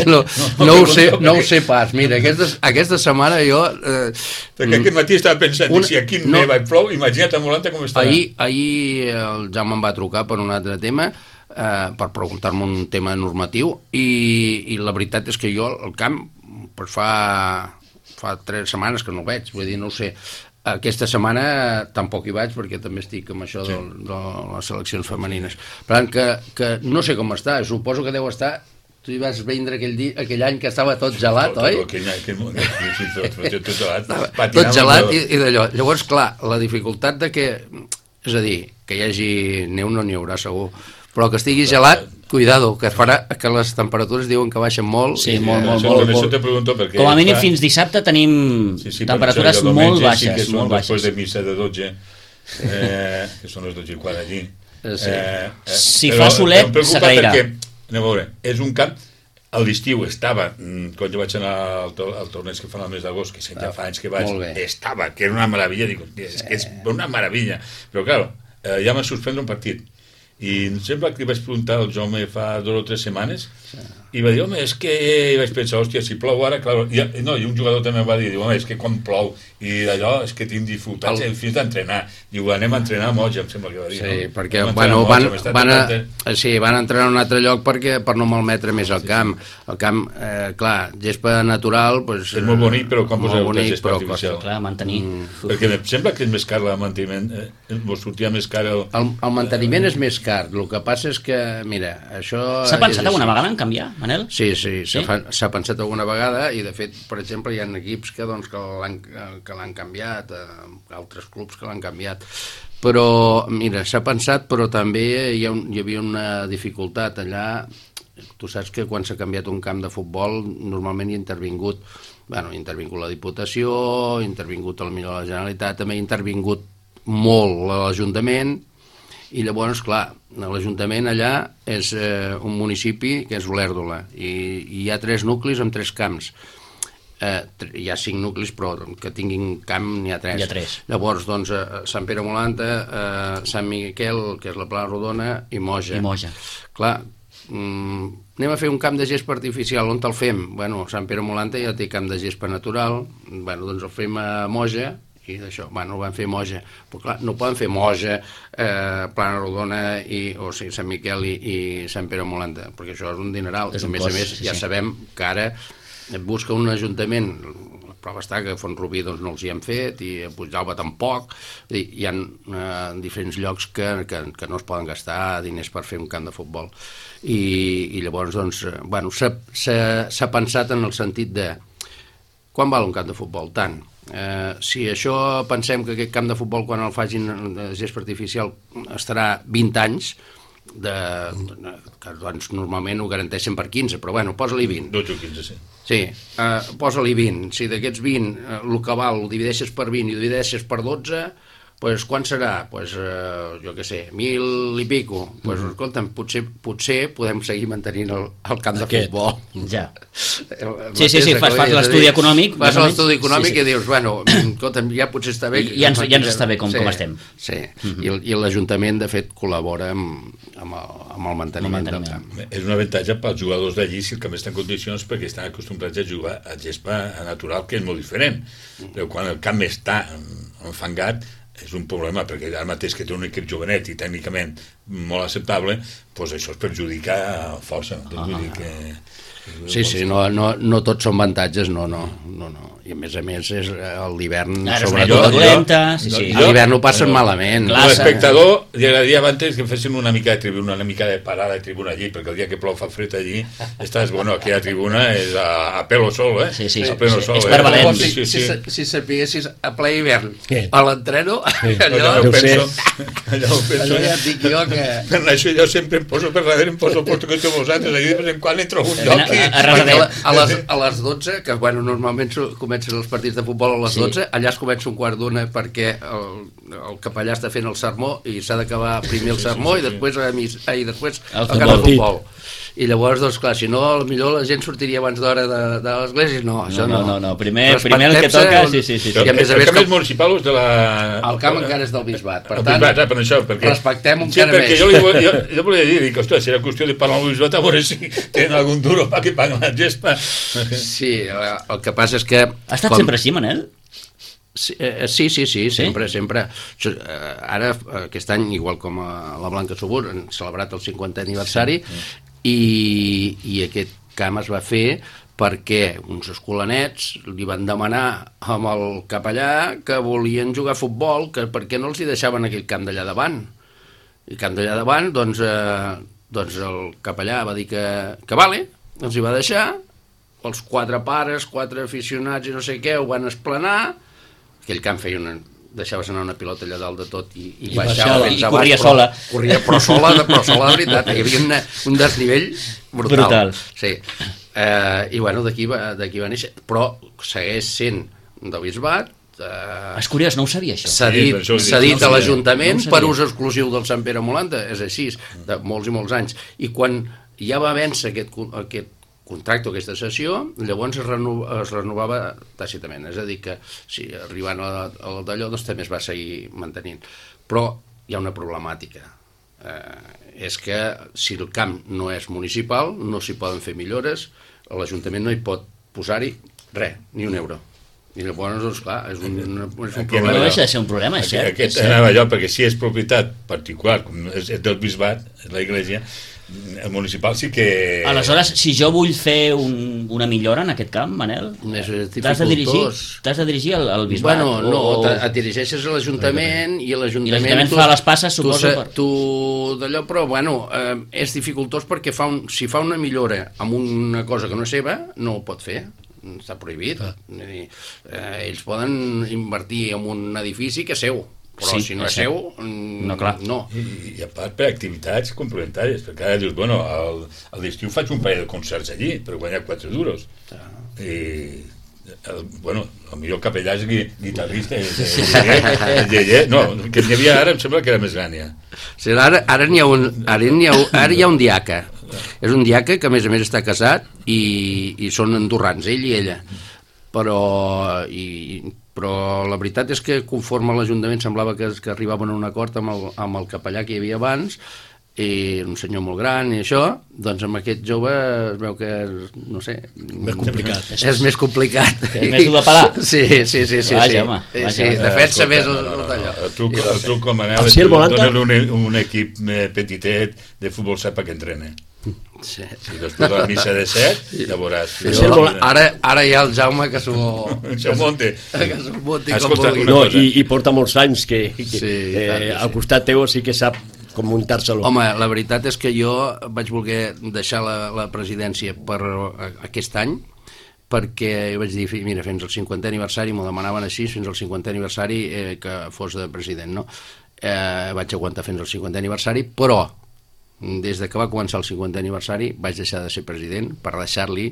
Speaker 4: no, no, ho sé, no ho sé pas. Mira, aquesta, aquesta setmana jo... Eh,
Speaker 3: Perquè aquest matí estava pensant,
Speaker 4: Un-
Speaker 3: un, si aquí
Speaker 4: no.
Speaker 3: neva i plou, imagina't a Molanta com estarà.
Speaker 4: ahir, ahir el Jaume em va trucar per un altre tema, eh, per preguntar-me un tema normatiu, i, i la veritat és que jo el camp pues fa, fa tres setmanes que no el veig, vull dir, no ho sé. Aquesta setmana tampoc hi vaig perquè també estic amb això sí. de, de les seleccions femenines. Per tant, que, que no sé com està, suposo que deu estar... Tu hi vas vindre aquell, dia, aquell any que estava tot gelat,
Speaker 3: Tot-
Speaker 4: oi?
Speaker 3: tot aquell any, aquell moment, sí, tot, tot, tot gelat.
Speaker 4: Estava
Speaker 3: Patinava
Speaker 4: tot gelat
Speaker 3: amb
Speaker 4: i, i d'allò. Llavors, clar, la dificultat de que... És a dir, que hi hagi neu no n'hi haurà segur, però que estigui gelat, cuidado, que farà que les temperatures diuen que baixen molt.
Speaker 1: Sí,
Speaker 4: i,
Speaker 1: molt, molt,
Speaker 3: això,
Speaker 1: molt,
Speaker 3: això
Speaker 1: molt.
Speaker 3: te pregunto perquè...
Speaker 1: Com a mínim
Speaker 3: fa-
Speaker 1: fins dissabte tenim
Speaker 3: Sí, sí,
Speaker 1: temperatures
Speaker 3: per això,
Speaker 1: molt
Speaker 3: diumenge
Speaker 1: baixes,
Speaker 3: sí que són
Speaker 1: molt
Speaker 3: després
Speaker 1: baixes.
Speaker 3: de missa de dotze, eh, que són les dotze i quart allí.
Speaker 4: Eh, sí.
Speaker 3: Eh, eh,
Speaker 1: Si
Speaker 3: però
Speaker 1: fa solet,
Speaker 3: em preocupa
Speaker 1: s'agrairà.
Speaker 3: Perquè, anem a veure, és un camp, a l'estiu estava, mm, quan jo vaig anar al, to al torneig que fan al mes d'agost, que ja fa anys que vaig,
Speaker 4: Molt bé.
Speaker 3: estava, que era una meravella, dic, hòstia, és que és una meravella. Però, clar, eh, ja va suspendre un partit. I em sembla que li vaig preguntar al Jaume fa dues o tres setmanes, i va dir, home, és que... I vaig pensar, hòstia, si plou ara, clar... I, no, i un jugador també em va dir, diu, home, és que quan plou, i d'allò és que tinc dificultats
Speaker 4: El-
Speaker 3: el... fins d'entrenar. Diu, anem a entrenar a Moja, em sembla que va dir.
Speaker 4: Sí,
Speaker 3: no?
Speaker 4: perquè
Speaker 3: Anem a
Speaker 4: bueno,
Speaker 3: entrenar a
Speaker 4: van,
Speaker 3: Moja, m'està
Speaker 4: van, a,
Speaker 3: tocant-
Speaker 4: sí, van entrenar a un altre lloc perquè, per no malmetre més el camp. El camp, eh, clar, gespa natural... Pues,
Speaker 3: És molt bonic, però quan
Speaker 4: molt
Speaker 3: poseu
Speaker 4: bonic,
Speaker 3: gespa
Speaker 4: però
Speaker 3: artificial.
Speaker 1: Clar, mantenir.
Speaker 4: Mm.
Speaker 3: Perquè em sembla que és més car el manteniment, eh, vos sortia més car el...
Speaker 4: El, el manteniment és més car, el que passa és que, mira, això...
Speaker 1: S'ha
Speaker 4: és
Speaker 1: pensat
Speaker 4: així.
Speaker 1: alguna vegada en canviar, Manel?
Speaker 4: Sí, sí, s'ha
Speaker 1: Sí?
Speaker 4: fa- s'ha pensat alguna vegada i, de fet, per exemple, hi ha equips que, doncs, que l'han que l'han canviat, eh, altres clubs que l'han canviat. Però, mira, s'ha pensat, però també hi, ha un, hi havia una dificultat allà. Tu saps que quan s'ha canviat un camp de futbol normalment hi ha intervingut, bueno, hi ha intervingut la Diputació, hi ha intervingut el millor la Generalitat, també hi ha intervingut molt l'Ajuntament, i llavors, clar, l'Ajuntament allà és eh, un municipi que és Olèrdola, i, i hi ha tres nuclis amb tres camps. Eh, hi ha cinc nuclis, però que tinguin camp n'hi ha tres.
Speaker 1: Hi ha tres.
Speaker 4: Llavors, doncs, eh, Sant Pere Molanta, eh, Sant Miquel, que és la Plana Rodona, i Moja.
Speaker 1: I Moja.
Speaker 4: Clar, mm, anem a fer un camp de gespa artificial, on te'l fem? Bueno, Sant Pere Molanta ja té camp de gespa natural, bueno, doncs el fem a Moja, i d'això, bueno, ho van fer Moja, però clar, no poden fer Moja, eh, Plana Rodona, i, o sigui, Sant Miquel i, i Sant Pere Molanta, perquè això és un dineral,
Speaker 1: És
Speaker 4: i
Speaker 1: un
Speaker 4: a més
Speaker 1: cost,
Speaker 4: a més
Speaker 1: sí,
Speaker 4: ja
Speaker 1: sí.
Speaker 4: sabem que ara et busca un ajuntament, la prova està que a Font-rubí doncs, no els hi han fet, i a Puigdàlber tampoc, i hi ha eh, diferents llocs que, que, que no es poden gastar diners per fer un camp de futbol, i, i llavors doncs, eh, bueno, s'ha s'ha- s'ha pensat en el sentit de quan val un camp de futbol? Tant. Eh, si això pensem que aquest camp de futbol quan el facin de gespa artificial estarà vint anys, de, que doncs, normalment ho garanteixen per quinze, però bueno, posa-li vint.
Speaker 3: dotze o quinze, sí.
Speaker 4: Sí, uh, posa-li vint. Si d'aquests vint, uh, el que val ho divideixes per vint i ho divideixes per dotze, pues, quan serà? Pues, uh, jo què sé, mil i pico. Pues, mm. escolta'm, potser, potser podem seguir mantenint el, el camp de
Speaker 1: Aquest.
Speaker 4: futbol.
Speaker 1: Ja. Sí, sí, sí, fas, fas l'estudi econòmic.
Speaker 4: Fas l'estudi econòmic
Speaker 1: sí, sí.
Speaker 4: i dius, bueno, escolta'm, ja potser està bé.
Speaker 1: I, ja, ens, ja ens està bé com,
Speaker 4: sí,
Speaker 1: com estem.
Speaker 4: Sí, mm-hmm. I, i l'Ajuntament, de fet, col·labora amb, amb, el, amb el manteniment, el manteniment del camp.
Speaker 3: És un avantatge pels jugadors d'allí si el camp està en condicions, perquè estan acostumbrats a jugar a gespa natural, que és molt diferent. Però quan el camp està enfangat, és un problema, perquè ara mateix que té un equip jovenet i tècnicament molt acceptable, doncs això es perjudica força. Doncs vull dir que...
Speaker 4: Sí, sí, no, no, no tots són avantatges, no, no, no, no. I a més a més és l'hivern, sobretot.
Speaker 1: Dolenta, sí, sí.
Speaker 4: A l'hivern ho passen no, malament.
Speaker 3: L'espectador li agradaria abans que fessin una mica de tribuna, una mica de parada de tribuna allí, perquè el dia que plou fa fred allí, estàs, bueno, aquí a tribuna és a, a pelo sol, eh?
Speaker 1: Sí, sí,
Speaker 3: a pelo
Speaker 1: sí,
Speaker 3: sol,
Speaker 1: és per
Speaker 3: eh?
Speaker 1: valent.
Speaker 3: Sí, sí, sí.
Speaker 4: Si, si sapiguessis a ple hivern, a l'entreno,
Speaker 3: sí.
Speaker 4: allò...
Speaker 3: Allò ho penso, allò ho penso.
Speaker 4: Allò ja et dic jo que...
Speaker 3: Per això jo sempre em poso per darrere, em poso el porto que té vosaltres, allà de vegades en quan entro a un lloc i...
Speaker 1: A, a,
Speaker 4: a, a, les, a les dotze, que bueno, normalment comencen els partits de futbol a les dotze, sí. Allà es comença un quart d'una perquè el, el capellà està fent el sermó i s'ha d'acabar primer el sermó sí, sí, sí, sí. i després, a mis, ah, i després el, el camp de futbol. I llavors, doncs, clar, si no, potser la gent sortiria abans d'hora de, de l'església. No, això no.
Speaker 1: No, no, no. Primer, primer el que toca, sí, sí, sí. sí.
Speaker 3: I a més a més, el camp és municipal o és de la...
Speaker 4: El camp encara és del bisbat. Per
Speaker 3: el
Speaker 4: tant,
Speaker 3: bisbat, per això, perquè...
Speaker 4: respectem un
Speaker 3: sí,
Speaker 4: encara
Speaker 3: més.
Speaker 4: més.
Speaker 3: Jo, li, jo, jo volia dir, dic, ostres, serà qüestió de parlar amb el bisbat a veure si tenen algun duro per que paguen la gespa.
Speaker 4: Sí, el que passa és que...
Speaker 1: Ha estat com... sempre així, Manel?
Speaker 4: Sí, eh, sí, sí, sí, sempre, sí? sempre. Ara, aquest any, igual com a la Blanca Subur, han celebrat el cinquantè aniversari sí. i, i aquest camp es va fer perquè uns escolanets li van demanar amb el capellà que volien jugar a futbol, que per què no els hi deixaven aquell camp d'allà davant. I el camp d'allà davant, doncs, eh, doncs el capellà va dir que, que vale, els hi va deixar, els quatre pares, quatre aficionats i no sé què, ho van esplanar. Aquell camp feia una... deixaves anar una pilota allà dalt de tot i, i,
Speaker 1: I
Speaker 4: baixava
Speaker 1: fins
Speaker 4: i
Speaker 1: abans, corria però, sola.
Speaker 4: Corria, però sola, de, però sola de veritat. Hi havia una, un desnivell brutal.
Speaker 1: brutal.
Speaker 4: Sí. Eh, I bueno, d'aquí va, d'aquí va néixer. Però segueix sent del bisbat. Eh,
Speaker 1: és curiós, no ho sabia, això.
Speaker 4: S'ha dit,
Speaker 3: sí,
Speaker 4: s'ha dit no a l'Ajuntament
Speaker 1: no
Speaker 4: per ús exclusiu del Sant Pere Molanta. És així, de molts i molts anys. I quan ja va vèncer aquest, aquest contracte, aquesta sessió, llavors es, reno, es renovava tàcitament, és a dir que si arribant a, a d'allò doncs també es va seguir mantenint, però hi ha una problemàtica, eh, és que si el camp no és municipal no s'hi poden fer millores, l'Ajuntament no hi pot posar-hi res, ni un euro. I llavors, doncs, clar, és un, és un problema.
Speaker 1: No deixa de ser un problema, és cert.
Speaker 3: Aquest anava allò, perquè si és propietat particular, com és del bisbat, és l'església, el municipal sí que...
Speaker 1: Aleshores, si jo vull fer un, una millora en aquest camp, Manel, t'has de dirigir, t'has de dirigir al, al bisbat?
Speaker 4: Bueno, no,
Speaker 1: o...
Speaker 4: et dirigeixes a l'Ajuntament i l'Ajuntament...
Speaker 1: I l'Ajuntament fa les passes, suposo...
Speaker 4: Tu, tu d'allò, però, bueno, eh, és dificultós perquè fa un, si fa una millora amb una cosa que no és seva, no ho pot fer. Està prohibit. Ah. Eh, ells poden invertir en un edifici que és seu, però sí, si no és seu,
Speaker 1: no, clar.
Speaker 4: no.
Speaker 3: I, I a part per activitats complementàries, perquè ara dius, bueno, al, al l'estiu faig un parell de concerts allí per guanyar quatre duros. Ah. I, el, bueno, el millor capellà és guitarrista, el Lleller, no, que n'hi havia ara, em sembla que era més gran ja.
Speaker 4: Sí, ara ara n'hi ha un, ara n'hi ha, ara hi ha un diaca. És un diaca que a més a més està casat i, i són andorrans, ell i ella. Però, i, però la veritat és que conforme l'Ajuntament semblava que, que arribaven a un acord amb el, amb el capellà que hi havia abans, i un senyor molt gran i això, doncs amb aquest jove es veu que és, no sé...
Speaker 2: Més complicat.
Speaker 4: És, és més complicat.
Speaker 1: És més dur de parar.
Speaker 4: Sí, sí, sí. sí
Speaker 1: vaja,
Speaker 4: sí.
Speaker 1: home. Vaja,
Speaker 4: sí,
Speaker 1: vaja.
Speaker 4: defensa més el,
Speaker 3: no, no, no,
Speaker 4: allò.
Speaker 3: El truc, el truc com Manel,
Speaker 2: sí,
Speaker 3: donen un, un equip petitet de futbol set perquè entrene.
Speaker 4: Sí.
Speaker 3: I després de la missa de set, ja veuràs.
Speaker 4: Sí, ara, ara hi ha el Jaume que s'ho...
Speaker 3: S'ho monte.
Speaker 4: Que s'ho monti
Speaker 3: com vulgui.
Speaker 2: No, i, i porta molts anys que, que
Speaker 4: sí,
Speaker 2: eh,
Speaker 4: clar, sí.
Speaker 2: al costat teu sí que sap com muntar-se-lo.
Speaker 4: Home, la veritat és que jo vaig voler deixar la, la presidència per aquest any, perquè vaig dir, mira, fins al cinquantè aniversari, m'ho demanaven així, fins al cinquantè aniversari eh, que fos de president, no? Eh, vaig aguantar fins al cinquantè aniversari, però des de que va començar el cinquantè aniversari vaig deixar de ser president per deixar-li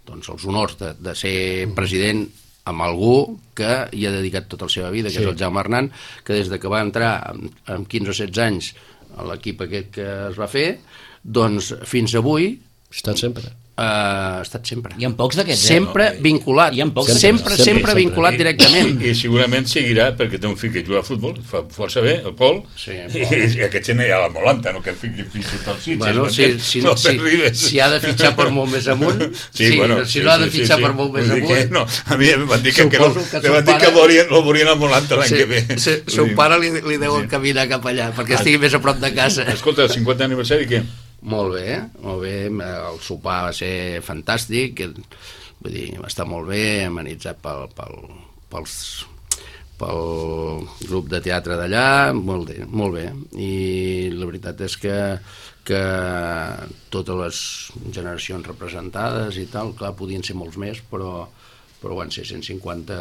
Speaker 4: doncs, els honors de, de ser president amb algú que hi ha dedicat tota la seva vida, que sí. és el Jaume Arnán, que des de que va entrar amb, amb quinze o setze anys a l'equip aquest que es va fer, doncs fins avui...
Speaker 2: Ha estat sempre.
Speaker 4: Uh, ha estat sempre.
Speaker 1: Hi ha pocs d'aquests,
Speaker 4: sempre
Speaker 1: eh?
Speaker 4: vinculat.
Speaker 1: Hi ha pocs
Speaker 4: sempre, sempre, sempre, sempre vinculat
Speaker 3: I,
Speaker 4: directament.
Speaker 3: I, I segurament seguirà perquè té un fill que juga a futbol, fa força bé, el Pol,
Speaker 4: sí,
Speaker 3: i, i aquest gent ja la molanta, no? Que el fill que fins i tot Sitges.
Speaker 4: Bueno, si, si,
Speaker 3: no
Speaker 4: si, si ha de fitxar per molt més amunt, sí, sí, bueno, si sí, no ha de fitxar sí, sí, per molt més amunt...
Speaker 3: Que, no, a mi em van dir que, que, no,
Speaker 4: que,
Speaker 3: que, van dir que volien, lo volien a Molanta l'any
Speaker 4: sí,
Speaker 3: que ve.
Speaker 4: Sí, son pare li, li deu sí. caminar cap allà, perquè estigui més a prop de casa.
Speaker 3: Escolta, el cinquantè aniversari, què?
Speaker 4: Molt bé, molt bé, el sopar va ser fantàstic, vull dir, va estar molt bé, amenitzat pel, pel, pels, pel grup de teatre d'allà, molt bé, molt bé, i la veritat és que, que totes les generacions representades i tal, clar, podien ser molts més, però però van ser cent cinquanta,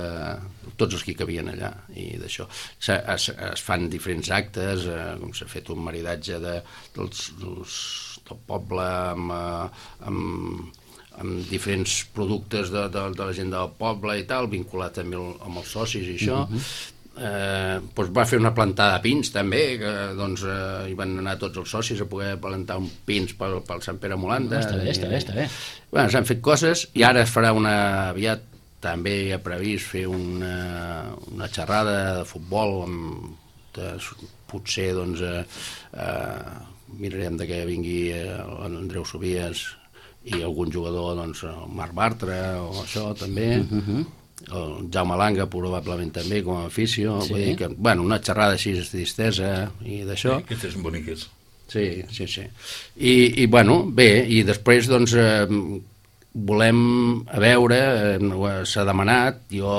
Speaker 4: tots els que hi cabien allà, i d'això. Es, es fan diferents actes, eh, com s'ha fet un maridatge de, dels, dels, del poble amb, amb, amb diferents productes de, de, de la gent del poble i tal, vinculat també amb els socis i això. Uh-huh. eh, doncs va fer una plantada de pins també, que doncs, eh, hi van anar tots els socis a poder plantar un pins pel, pel Sant Pere Molanda.
Speaker 1: No, està bé, està bé, està bé.
Speaker 4: Bueno, s'han fet coses, i ara es farà una aviat també hi ha previst fer una, una xerrada de futbol amb, de, potser doncs eh, eh, mirarem de que vingui l'Andreu Sobies i algun jugador, doncs el Marc Bartra o això també, uh-huh. el Jaume Langa probablement també com a afició, sí. Vull dir que, bueno, una xerrada així de distesa i d'això.
Speaker 3: Sí, aquestes són boniques.
Speaker 4: Sí, sí, sí. I, i bueno, bé, i després doncs eh, volem a veure, eh, s'ha demanat, jo,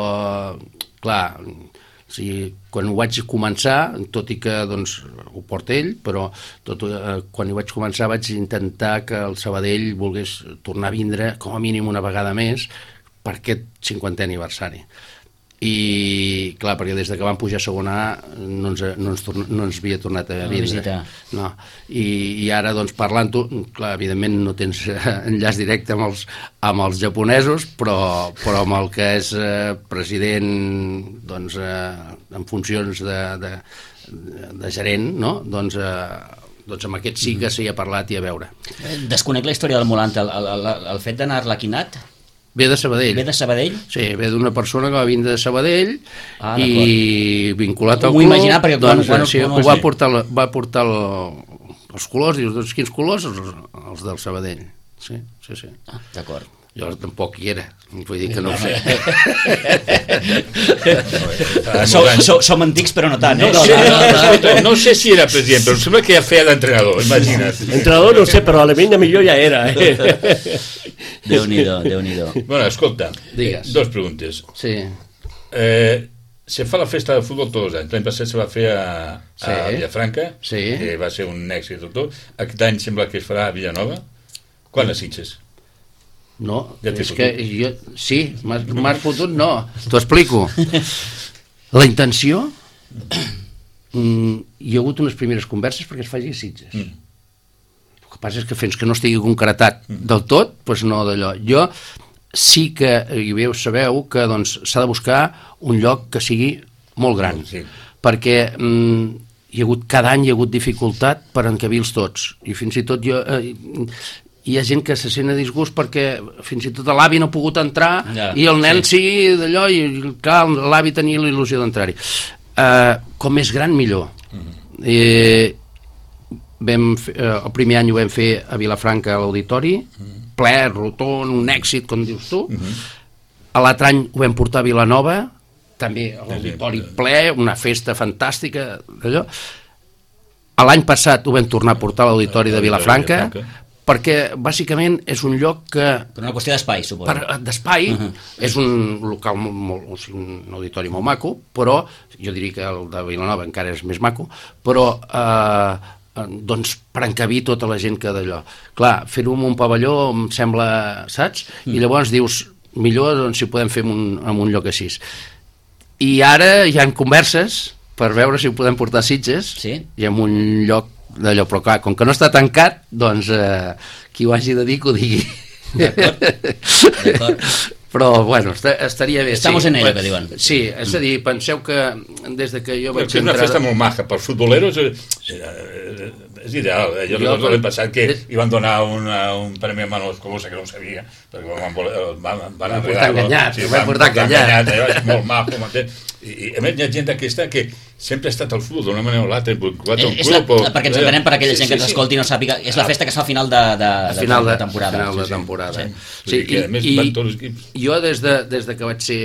Speaker 4: clar, o sigui, quan ho vaig començar, tot i que doncs, ho porta ell, però tot, eh, quan ho vaig començar vaig intentar que el Sabadell volgués tornar a vindre com a mínim una vegada més per aquest cinquantè aniversari. I clar, perquè des de que vam pujar a segona A no ens, no ens, torna, no ens havia tornat a vindre. No. I, i ara doncs parlant-ho, clar, evidentment no tens enllaç directe amb els, amb els japonesos, però, però amb el que és eh, president doncs, eh, en funcions de, de, de gerent, no? doncs, eh, doncs amb aquest sí que s'hi ha parlat i a veure.
Speaker 1: Desconec la història del Molanta, el, el, el, el fet d'anar arlequinat.
Speaker 4: Ve de Sabadell.
Speaker 1: Ve de Sabadell?
Speaker 4: Sí, ve d'una persona que va vindre de Sabadell ah, i vinculat al club.
Speaker 1: M'ho imaginar perquè
Speaker 4: doncs,
Speaker 1: quan, quan,
Speaker 4: sí,
Speaker 1: quan,
Speaker 4: va portar, va portar el, els colors, dius, doncs quins colors? Els, els del Sabadell. Sí, sí, sí.
Speaker 1: Ah, d'acord.
Speaker 4: Jo tampoc hi era, vull dir que no ho sé.
Speaker 1: Som, som, som antics però no tant, eh?
Speaker 3: No, sé, no, no, no sé si era president, però sembla que ja feia d'entrenador, imagina't.
Speaker 2: Entrenador no sé, però a l'Alemanya millor ja era. Eh?
Speaker 1: Déu-n'hi-do, Déu-n'hi-do.
Speaker 3: Bueno, escolta,
Speaker 4: digues.
Speaker 3: Dos preguntes.
Speaker 4: Sí.
Speaker 3: Eh, se fa la festa de futbol tots els anys. L'any passat se va fer a, a sí. Villafranca,
Speaker 4: sí.
Speaker 3: que va ser un èxit tot. Aquest any sembla que es farà a Villanova. Quan les Sitges?
Speaker 4: No,
Speaker 3: ja
Speaker 4: és que jo... Sí, m'has fotut, no. T'ho explico. La intenció... Mm, hi ha hagut unes primeres converses perquè es faci a Sitges. Mm. El que passa és que fins que no estigui concretat mm. del tot, doncs no d'allò. Jo sí que, i bé ho sabeu, que doncs, s'ha de buscar un lloc que sigui molt gran. Sí. Perquè... Mm, hi ha hagut, cada any hi ha hagut dificultat per encabir-los tots. I fins i tot jo... Eh, hi ha gent que se sent a disgust perquè fins i tot l'avi no ha pogut entrar ja, i el nen sí, sí d'allò, i clar, l'avi tenia la il·lusió d'entrar-hi. Uh, com més gran, millor. Uh-huh. eh, vam fer, uh, el primer any ho vam fer a Vilafranca, a l'Auditori, uh-huh. ple, rotón, un èxit, com dius tu. Uh-huh. L'altre any ho vam portar a Vilanova, també a l'Auditori ple, una festa fantàstica, d'allò. L'any passat ho vam tornar a portar a l'Auditori de Vilafranca, perquè bàsicament és un lloc que...
Speaker 1: Per una qüestió d'espai, suposo. Per,
Speaker 4: d'espai, uh-huh. és un local, molt, molt, o sigui, un auditori molt maco, però jo diria que el de Vilanova encara és més maco, però eh, doncs per encabir tota la gent que d'allò. Clar, fer-ho en un pavelló em sembla, saps? Mm. I llavors dius, millor doncs, si ho podem fer en un, en un lloc així. I ara hi ha converses per veure si ho podem portar a Sitges,
Speaker 1: sí.
Speaker 4: i en un lloc d'allò, però clar, com que no està tancat, doncs eh, qui ho hagi de dir que ho digui.
Speaker 1: D'acord, d'acord.
Speaker 4: Però, bueno, est estaria bé.
Speaker 1: Estamos
Speaker 4: sí,
Speaker 1: en ello, que diuen.
Speaker 4: Sí, és a dir, penseu que des de que jo vaig
Speaker 3: entrar... És una festa molt maca, per futboleros és, és ideal. Eh? Jo, jo l'any passat que hi van donar una, un premi a Manuel Colosa, que no ho sabia, perquè van, van, van
Speaker 4: portar enganyat,
Speaker 3: sí,
Speaker 4: van portar enganyat.
Speaker 3: És molt maco, m'entens? I, a més hi ha gent aquesta que sempre ha estat al futbol d'una manera o l'altra,
Speaker 1: és la, perquè ens entenem per aquella gent que ens escolti i no sàpiga, és la festa que es fa a final de, de, de,
Speaker 4: final de,
Speaker 1: de temporada,
Speaker 4: final de
Speaker 1: sí,
Speaker 4: temporada.
Speaker 1: Sí.
Speaker 4: Sí,
Speaker 3: i, i, més,
Speaker 4: i jo des de, des de que vaig ser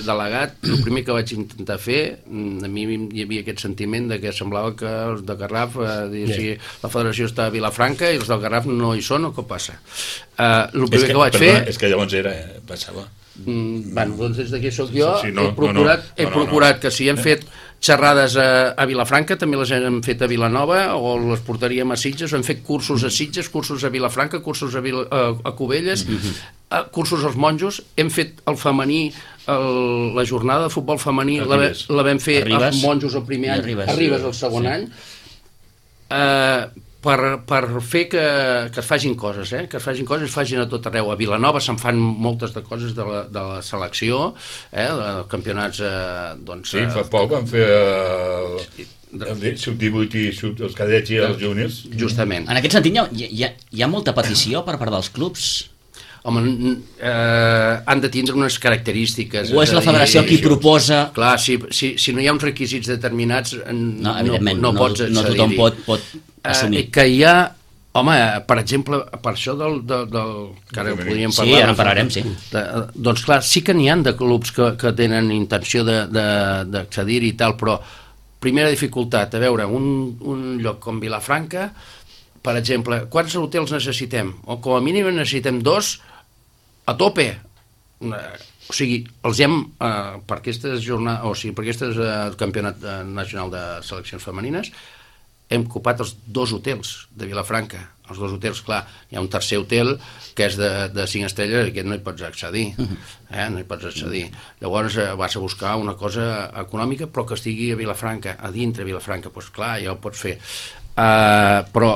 Speaker 4: delegat, el primer que vaig intentar fer, a mi hi havia aquest sentiment de que semblava que els de Garraf, eh, si la federació està a Vilafranca i els del Garraf no hi són, o què passa? Uh, el primer
Speaker 3: que,
Speaker 4: que vaig
Speaker 3: perdona,
Speaker 4: fer...
Speaker 3: És que llavors era, eh, passava.
Speaker 4: Mm, bueno, doncs des d'aquí soc jo,
Speaker 3: sí, sí, no,
Speaker 4: he procurat,
Speaker 3: no, no,
Speaker 4: he procurat no, no. que si hem fet xerrades a, a Vilafranca, també les hem fet a Vilanova, o les portaríem a Sitges, hem fet cursos a Sitges, cursos a Vilafranca, cursos a, Vila, a, a Cubelles, mm-hmm. a, cursos als monjos, hem fet el femení, el, la jornada de futbol femení, la, la vam fer
Speaker 1: Arribes,
Speaker 4: als monjos el primer any,
Speaker 1: Arribes,
Speaker 4: Arribes el segon sí. any, eh... Per, per fer que, que es facin coses, eh? que es facin coses, es facin a tot arreu. A Vilanova se'n fan moltes de coses de la, de la selecció, eh? de campionats... Eh, doncs,
Speaker 3: sí, fa poc van fer eh, el sub divuit i sub, els cadets i els júniors.
Speaker 4: Justament.
Speaker 1: En aquest sentit, hi ha, hi ha, hi ha molta petició per part dels clubs?
Speaker 4: Home, eh, han de tindre unes característiques.
Speaker 1: O és la federació qui proposa...
Speaker 4: Clar, si, si, si no hi ha uns requisits determinats,
Speaker 1: no, evidentment,
Speaker 4: no, no,
Speaker 1: no,
Speaker 4: pots
Speaker 1: no tothom pot, pot assumir.
Speaker 4: Eh, que hi ha, home, per exemple, per això del... del, del que ara podríem parlar...
Speaker 1: Sí, ara en parlarem, sí.
Speaker 4: De, doncs clar, sí que n'hi ha de clubs que, que tenen intenció d'accedir-hi i tal, però primera dificultat, a veure, un, un lloc com Vilafranca, per exemple, quants hotels necessitem? O com a mínim necessitem dos a tope. O sigui, els hem, eh, per aquestes jornades, o sigui, per aquestes eh, campionat nacional de seleccions femenines, hem ocupat els dos hotels de Vilafranca. Els dos hotels, clar, hi ha un tercer hotel que és de, de cinc estrelles i aquest no hi pots accedir. Eh? No hi pots accedir. Llavors eh, vas a buscar una cosa econòmica però que estigui a Vilafranca, a dintre de Vilafranca. Doncs clar, ja ho pots fer. Uh, però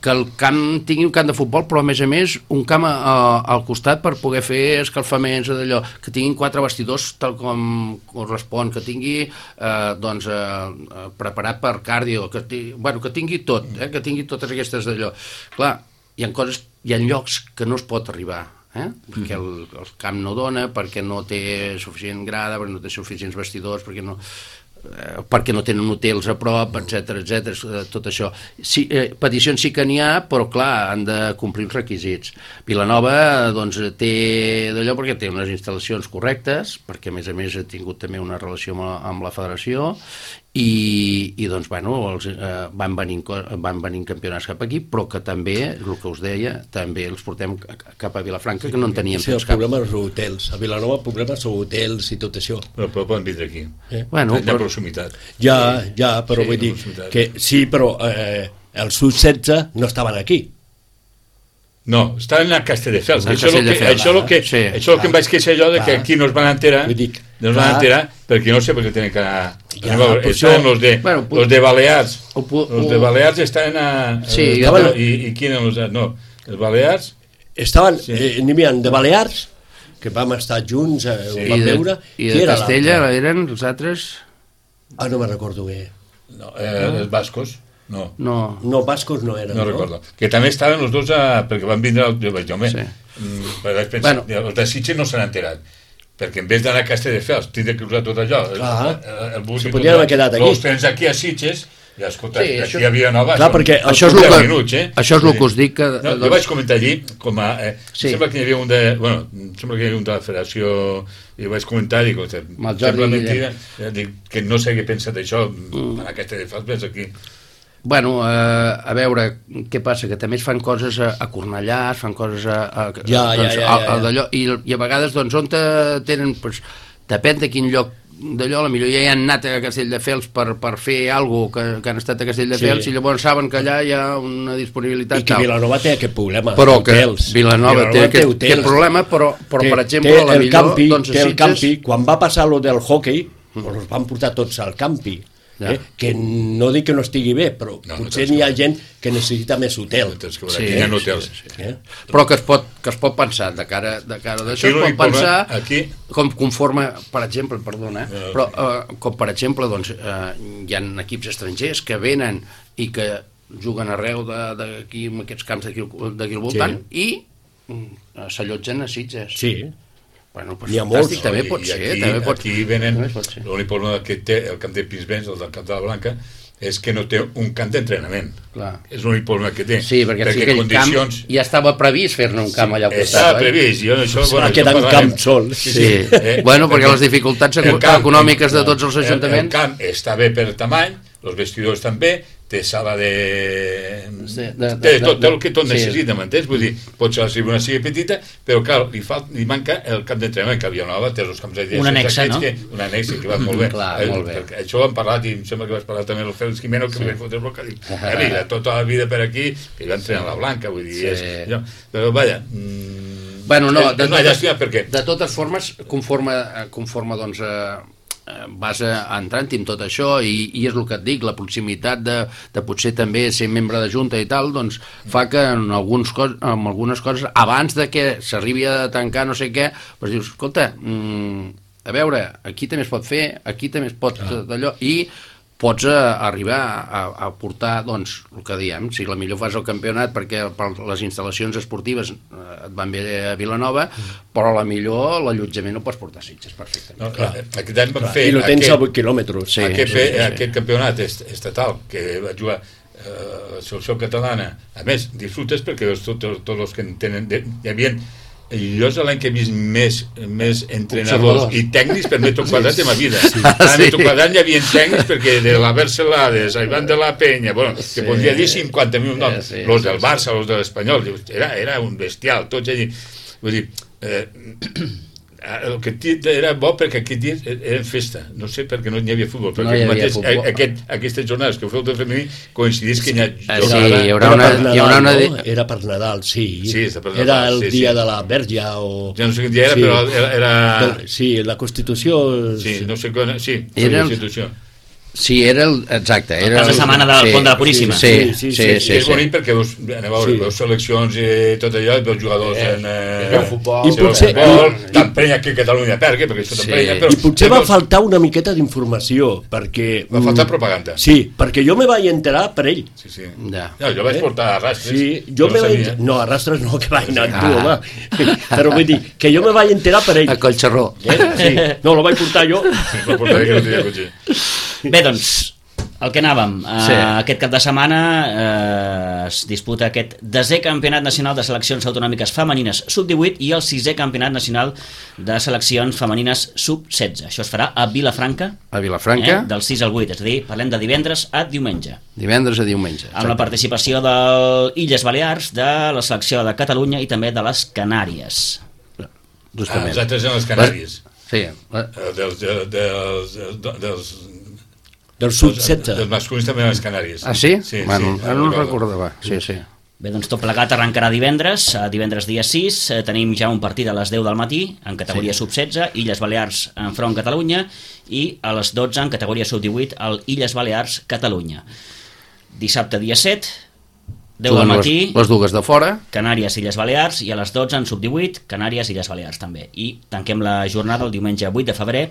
Speaker 4: que el camp tingui un camp de futbol, però a més a més un camp a, a, al costat per poder fer escalfaments o d'allò, que tinguin quatre vestidors tal com correspon, que tingui eh, doncs, eh, preparat per cardio, que, tingui, bueno, que tingui tot, eh, que tingui totes aquestes d'allò. Clar, hi ha coses, hi ha llocs que no es pot arribar, eh? perquè el, el camp no dona, perquè no té suficient grada, perquè no té suficients vestidors, perquè no... Eh, perquè no tenen hotels a prop, etc etc, tot això. Sí, eh, peticions sí que n'hi ha, però clar, han de complir els requisits. Vilanova doncs té d'allò perquè té unes instal·lacions correctes, perquè a més a més ha tingut també una relació amb la, amb la federació i, i doncs bueno, els, eh, van, venint, van venint campionats cap aquí, però que també, el que us deia, també els portem cap a Vilafranca, que no en teníem
Speaker 2: sí, els cap. Problemes són hotels. A Vilanova els problemes són hotels i tot això.
Speaker 3: Però, però poden vindre aquí.
Speaker 2: Eh?
Speaker 4: Bueno,
Speaker 3: hi ha proximitat.
Speaker 2: Ja, ja, però
Speaker 3: sí,
Speaker 2: vull dir que sí, però eh, els sub setze no estaven aquí.
Speaker 3: No, estaven a Castelldefels.
Speaker 4: A
Speaker 3: Això és el que, això el que,
Speaker 4: sí,
Speaker 3: això el que em vaig queixar jo, de que aquí no es van enterar,
Speaker 2: dic,
Speaker 3: no es van enterar, perquè no sé per què tenen que anar...
Speaker 2: Ja,
Speaker 3: veure, estaven els de,
Speaker 4: bueno,
Speaker 3: los de Balears,
Speaker 4: o, o,
Speaker 3: els de Balears estaven a...
Speaker 4: Sí,
Speaker 3: a estaven, i, I qui eren els de... No, els Balears...
Speaker 2: Estaven,
Speaker 3: sí.
Speaker 2: eh, n'hi havia de Balears, que vam estar junts, eh,
Speaker 3: sí.
Speaker 2: ho vam
Speaker 4: I de,
Speaker 2: veure.
Speaker 4: I de Castella eren els altres...
Speaker 2: Ah, no me'n recordo bé.
Speaker 3: No, eh, no. Els bascos... No.
Speaker 4: No.
Speaker 2: No, bascos no eren,
Speaker 3: no? No recordo. Que també estaven els dos a... perquè van vindre... Jo vaig dir, home, sí. vaig pensar, bueno. Els de Sitges no s'han enterat, perquè en vez d'anar a Castelldefels, tindre que usar tot allò.
Speaker 2: Clar.
Speaker 3: El, el bus
Speaker 2: si podien haver quedat aquí.
Speaker 3: Els tens aquí a Sitges, i escolta,
Speaker 4: sí,
Speaker 3: aquí
Speaker 4: això...
Speaker 3: hi havia Nova...
Speaker 2: Clar, perquè...
Speaker 4: Això és, que, minuts, eh? això és el que us dic que...
Speaker 3: No, jo vaig comentar allí, com a... Eh,
Speaker 4: sí.
Speaker 3: Sembla que hi havia un de... Bueno, sembla que hi havia un de la federació... I vaig comentar, dic, sembla mentida, dic, que no sé què pensa d'això, mm. en aquesta de fals, ves aquí...
Speaker 4: Bueno, eh, a veure, què passa? Que també es fan coses a, a Cornellà, es fan coses a... a
Speaker 2: ja,
Speaker 4: doncs,
Speaker 2: ja, ja, ja, ja.
Speaker 4: A, i, I a vegades, doncs, on te tenen... Pues, depèn de quin lloc d'allò, potser ja hi han anat a Castelldefels per, per fer alguna cosa, que, que han estat a Castelldefels, sí. I llavors saben que allà hi ha una disponibilitat.
Speaker 2: I que tal. Vilanova té aquest problema.
Speaker 4: Però que
Speaker 2: hotels.
Speaker 4: Vilanova, Vilanova té, té, aquest, aquest problema, però, però té, per exemple, a la millor...
Speaker 2: Campi,
Speaker 4: doncs,
Speaker 2: té el campi, quan va passar lo del hockey, mm. els van portar tots al campi. eh? Que no dic que no estigui bé, però
Speaker 3: No, no
Speaker 2: potser
Speaker 3: tens
Speaker 2: n'hi ha
Speaker 3: que-
Speaker 2: gent que necessita més hotel.
Speaker 3: Tens que veure,
Speaker 4: Sí,
Speaker 3: aquí hi ha
Speaker 4: sí,
Speaker 3: hotels.
Speaker 4: sí, sí.
Speaker 2: Eh?
Speaker 4: Però que es pot, que es pot pensar, de cara, de cara d'això
Speaker 3: Aquí
Speaker 4: es pot
Speaker 3: l'únic problema-
Speaker 4: pensar
Speaker 3: aquí-
Speaker 4: com conforme, per exemple, perdona, eh?
Speaker 3: No,
Speaker 4: però eh, com per exemple doncs, eh, hi ha equips estrangers que venen i que juguen arreu de- d'aquí, en aquests camps d'aquí d'aquí al voltant,
Speaker 2: Sí.
Speaker 4: i mm, s'allotgen a Sitges.
Speaker 2: Sí,
Speaker 4: Bueno, pues
Speaker 2: N'hi ha
Speaker 4: fantàstic,
Speaker 2: molts.
Speaker 4: també
Speaker 3: I-
Speaker 4: pot
Speaker 3: i
Speaker 4: ser.
Speaker 3: aquí,
Speaker 4: també pot...
Speaker 3: aquí venen,
Speaker 4: també pot ser.
Speaker 3: l'únic problema que té el camp de Pinsbens, el del camp de la Blanca, és que no té un camp d'entrenament.
Speaker 4: Clar.
Speaker 3: És l'únic problema que té.
Speaker 4: Sí, perquè, sí, aquell
Speaker 3: condicions...
Speaker 4: camp ja estava previst fer-ne un camp allà al costat,
Speaker 3: Estava
Speaker 4: oi?
Speaker 3: previst. Jo, això,
Speaker 2: va
Speaker 3: bueno,
Speaker 2: quedar
Speaker 3: això
Speaker 2: en
Speaker 3: parlarem.
Speaker 2: camp sol.
Speaker 4: Sí,
Speaker 3: Eh,
Speaker 4: bueno, perquè
Speaker 3: perquè
Speaker 4: les dificultats
Speaker 3: el
Speaker 4: eco-
Speaker 3: camp-
Speaker 4: econòmiques de tots els
Speaker 3: el-
Speaker 4: ajuntaments...
Speaker 3: El camp està bé per tamany, els vestidors també, té sala de...
Speaker 4: Sí, de- de-
Speaker 3: té tot,
Speaker 4: de-
Speaker 3: tot el que tot
Speaker 4: sí.
Speaker 3: necessita, m'entens? Vull dir, potser la tribuna sigui petita, però clar, li, fal, li manca el camp d'entrenament, que Vilanova té els camps de
Speaker 1: Un annexe, no?
Speaker 3: Que, un annexe que va molt bé.
Speaker 4: Clar,
Speaker 3: Eh,
Speaker 4: molt bé.
Speaker 3: perquè Això ho hem parlat i em sembla que vas parlar també amb el Félix Jimeno, que sí. li vaig fotre bloc, que dic, eh, mira, tota la vida per aquí, que va entrenar a la Blanca, vull dir,
Speaker 4: Sí.
Speaker 3: és, jo, però vaja, mm,
Speaker 4: Bueno, no,
Speaker 3: és, és una
Speaker 4: totes-
Speaker 3: llàstima perquè
Speaker 4: De totes formes, conforme, conforme doncs, eh, eh, vas eh, entrant en tot això i, i és el que et dic, la proximitat de, de potser també ser membre de junta i tal, doncs fa que en, alguns cos, en algunes coses, abans de que s'arribi a tancar no sé què, doncs dius, escolta, mm, a veure, aquí també es pot fer, aquí també es pot ah. d'allò, i pots eh, arribar a, a portar, doncs, el que diem, si la millor fas el campionat perquè per les instal·lacions esportives eh, et van bé a Vilanova, mm. però la millor l'allotjament no pots portar a Sitges perfectament.
Speaker 3: no, clar, aquest any vam fer
Speaker 2: I lo tens
Speaker 3: aquest,
Speaker 2: a vuit quilòmetres.
Speaker 4: Sí,
Speaker 3: aquest,
Speaker 4: sí, sí, sí.
Speaker 3: aquest campionat est- estatal que va jugar eh, la selecció catalana, a més, disfrutes perquè veus tots, tots els que en tenen, de, hi havia jo és l'any que he vist més, més entrenadors
Speaker 4: Observadors.
Speaker 3: i tècnics per metro quadrat de ma vida. Sí. A
Speaker 4: Sí.
Speaker 3: metro quadrat hi havia tècnics perquè de la Barcelades, a Ivan de la Penya, bueno, que
Speaker 4: Sí.
Speaker 3: podria dir cinquanta mil noms,
Speaker 4: Sí, sí,
Speaker 3: los
Speaker 4: sí,
Speaker 3: del
Speaker 4: sí.
Speaker 3: Barça, los de l'Espanyol, era, era un bestial, tots allí. Vull dir, eh, el que era bo perquè aquest dia era festa, no sé perquè no hi havia futbol, perquè
Speaker 4: No hi havia
Speaker 3: mateix,
Speaker 4: futbol.
Speaker 3: aquest, aquestes jornades que ho feu del femení coincidís que hi ha
Speaker 4: Ah,
Speaker 3: jornada...
Speaker 4: sí, hi haurà
Speaker 2: Era
Speaker 4: una-
Speaker 2: per
Speaker 4: hi
Speaker 2: Nadal,
Speaker 4: haurà una
Speaker 2: no?
Speaker 4: di-
Speaker 2: Era per Nadal, sí.
Speaker 3: Sí, és per Nadal,
Speaker 2: era el
Speaker 3: sí,
Speaker 2: dia
Speaker 3: sí.
Speaker 2: de la Verge o...
Speaker 3: Ja no sé quin dia era,
Speaker 2: Sí.
Speaker 3: però era... era...
Speaker 2: Sí, la Constitució...
Speaker 3: Sí, no sé quan... Sí,
Speaker 4: Era
Speaker 3: la
Speaker 4: el-
Speaker 3: institució.
Speaker 4: Sí, era el... Exacte. Era
Speaker 1: El cas de setmana del Pont de la Puríssima.
Speaker 4: Sí, sí,
Speaker 2: Sí,
Speaker 4: sí.
Speaker 2: sí,
Speaker 4: sí,
Speaker 3: I
Speaker 4: sí,
Speaker 3: és bonic perquè veus, aneu a veure,
Speaker 2: Sí.
Speaker 3: veus seleccions i tot allò, i veus jugadors en... Eh,
Speaker 4: veu futbol.
Speaker 2: I
Speaker 3: I
Speaker 2: potser-
Speaker 3: futbol,
Speaker 2: i-
Speaker 3: t'emprenya que Catalunya pergui, perquè això
Speaker 4: Sí.
Speaker 3: t'emprenya, però...
Speaker 2: I potser va
Speaker 3: veus-
Speaker 2: faltar una miqueta d'informació, perquè...
Speaker 3: Va faltar
Speaker 2: mm,
Speaker 3: propaganda.
Speaker 2: Sí, perquè jo me vaig enterar per ell.
Speaker 3: Sí, sí.
Speaker 4: Ja.
Speaker 3: No, jo vaig
Speaker 2: Eh?
Speaker 3: portar a rastres.
Speaker 2: Sí, jo
Speaker 3: no
Speaker 2: me vaig...
Speaker 3: sabia.
Speaker 2: No, a rastres no, que vaig anar amb tu,
Speaker 4: Ah.
Speaker 2: home. Però vull dir, que jo me vaig enterar per ell.
Speaker 4: A Collxerró.
Speaker 2: Eh? Sí. No, lo vaig portar jo.
Speaker 3: Sí, va portar que no tenia cotxe.
Speaker 1: Bé, doncs, el que anàvem.
Speaker 4: Sí.
Speaker 1: Sí. Uh, aquest cap de setmana uh, es disputa aquest desè campionat nacional de seleccions autonòmiques femenines sub divuit i el sisè campionat nacional de seleccions femenines sub setze. Això es farà a Vilafranca,
Speaker 4: A Vilafranca,
Speaker 1: eh, del sis al vuit, és a dir, parlem de divendres a diumenge.
Speaker 4: divendres a diumenge.
Speaker 1: Amb la
Speaker 4: exacte.
Speaker 1: participació de Illes Balears, de la selecció de Catalunya i també de les Canàries.
Speaker 3: Ah,
Speaker 4: Justament.
Speaker 3: els altres eren les Canàries.
Speaker 4: Sí, la-
Speaker 3: Eh, Dels, de- dels, dels, dels,
Speaker 2: Del sud
Speaker 3: dels,
Speaker 2: setze.
Speaker 3: dels masculins també eren les Canàries.
Speaker 4: Ah, sí?
Speaker 3: Sí,
Speaker 4: bueno,
Speaker 3: sí.
Speaker 4: ara no recordava. Sí, sí.
Speaker 1: Bé, doncs tot plegat arrencarà divendres, a divendres dia sis, eh, tenim ja un partit a les deu del matí, en categoria sí. sub setze, Illes Balears enfront Catalunya, i a les dotze en categoria sub divuit, el Illes Balears Catalunya. Dissabte dia set, deu del
Speaker 4: Juguen
Speaker 1: matí,
Speaker 4: Les, les dues de fora.
Speaker 1: Canàries, Illes Balears, i a les dotze en sub divuit, Canàries, Illes Balears també. I tanquem la jornada el diumenge vuit de febrer,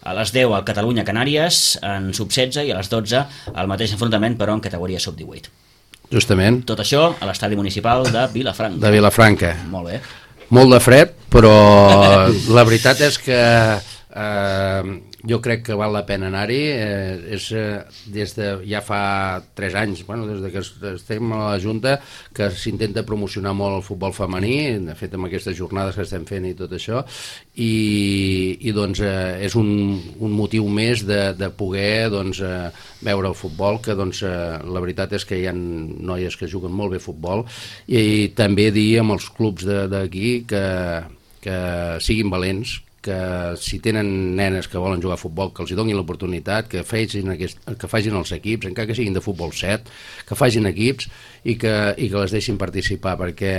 Speaker 1: a les deu al Catalunya-Canàries en sub setze i a les dotze el mateix enfrontament però en categoria sub divuit.
Speaker 4: Justament,
Speaker 1: Tot això a l'estadi municipal de Vilafranca.
Speaker 4: de Vilafranca.
Speaker 1: Molt bé.
Speaker 4: Molt de fred, però la veritat és que eh, jo crec que val la pena anar-hi. Eh, és eh, des de ja fa tres anys, bueno, des de que es- estem a la Junta, que s'intenta promocionar molt el futbol femení, de fet amb aquestes jornades que estem fent i tot això, i, i doncs eh, és un, un motiu més de, de poder doncs, eh, veure el futbol, que doncs, eh, la veritat és que hi ha noies que juguen molt bé futbol, i, i també dir amb els clubs de- d'aquí que, que siguin valents, que si tenen nenes que volen jugar a futbol, que els hi donin l'oportunitat, que facin, aquest, que facin els equips, encara que siguin de futbol set, que facin equips i que, i que les deixin participar, perquè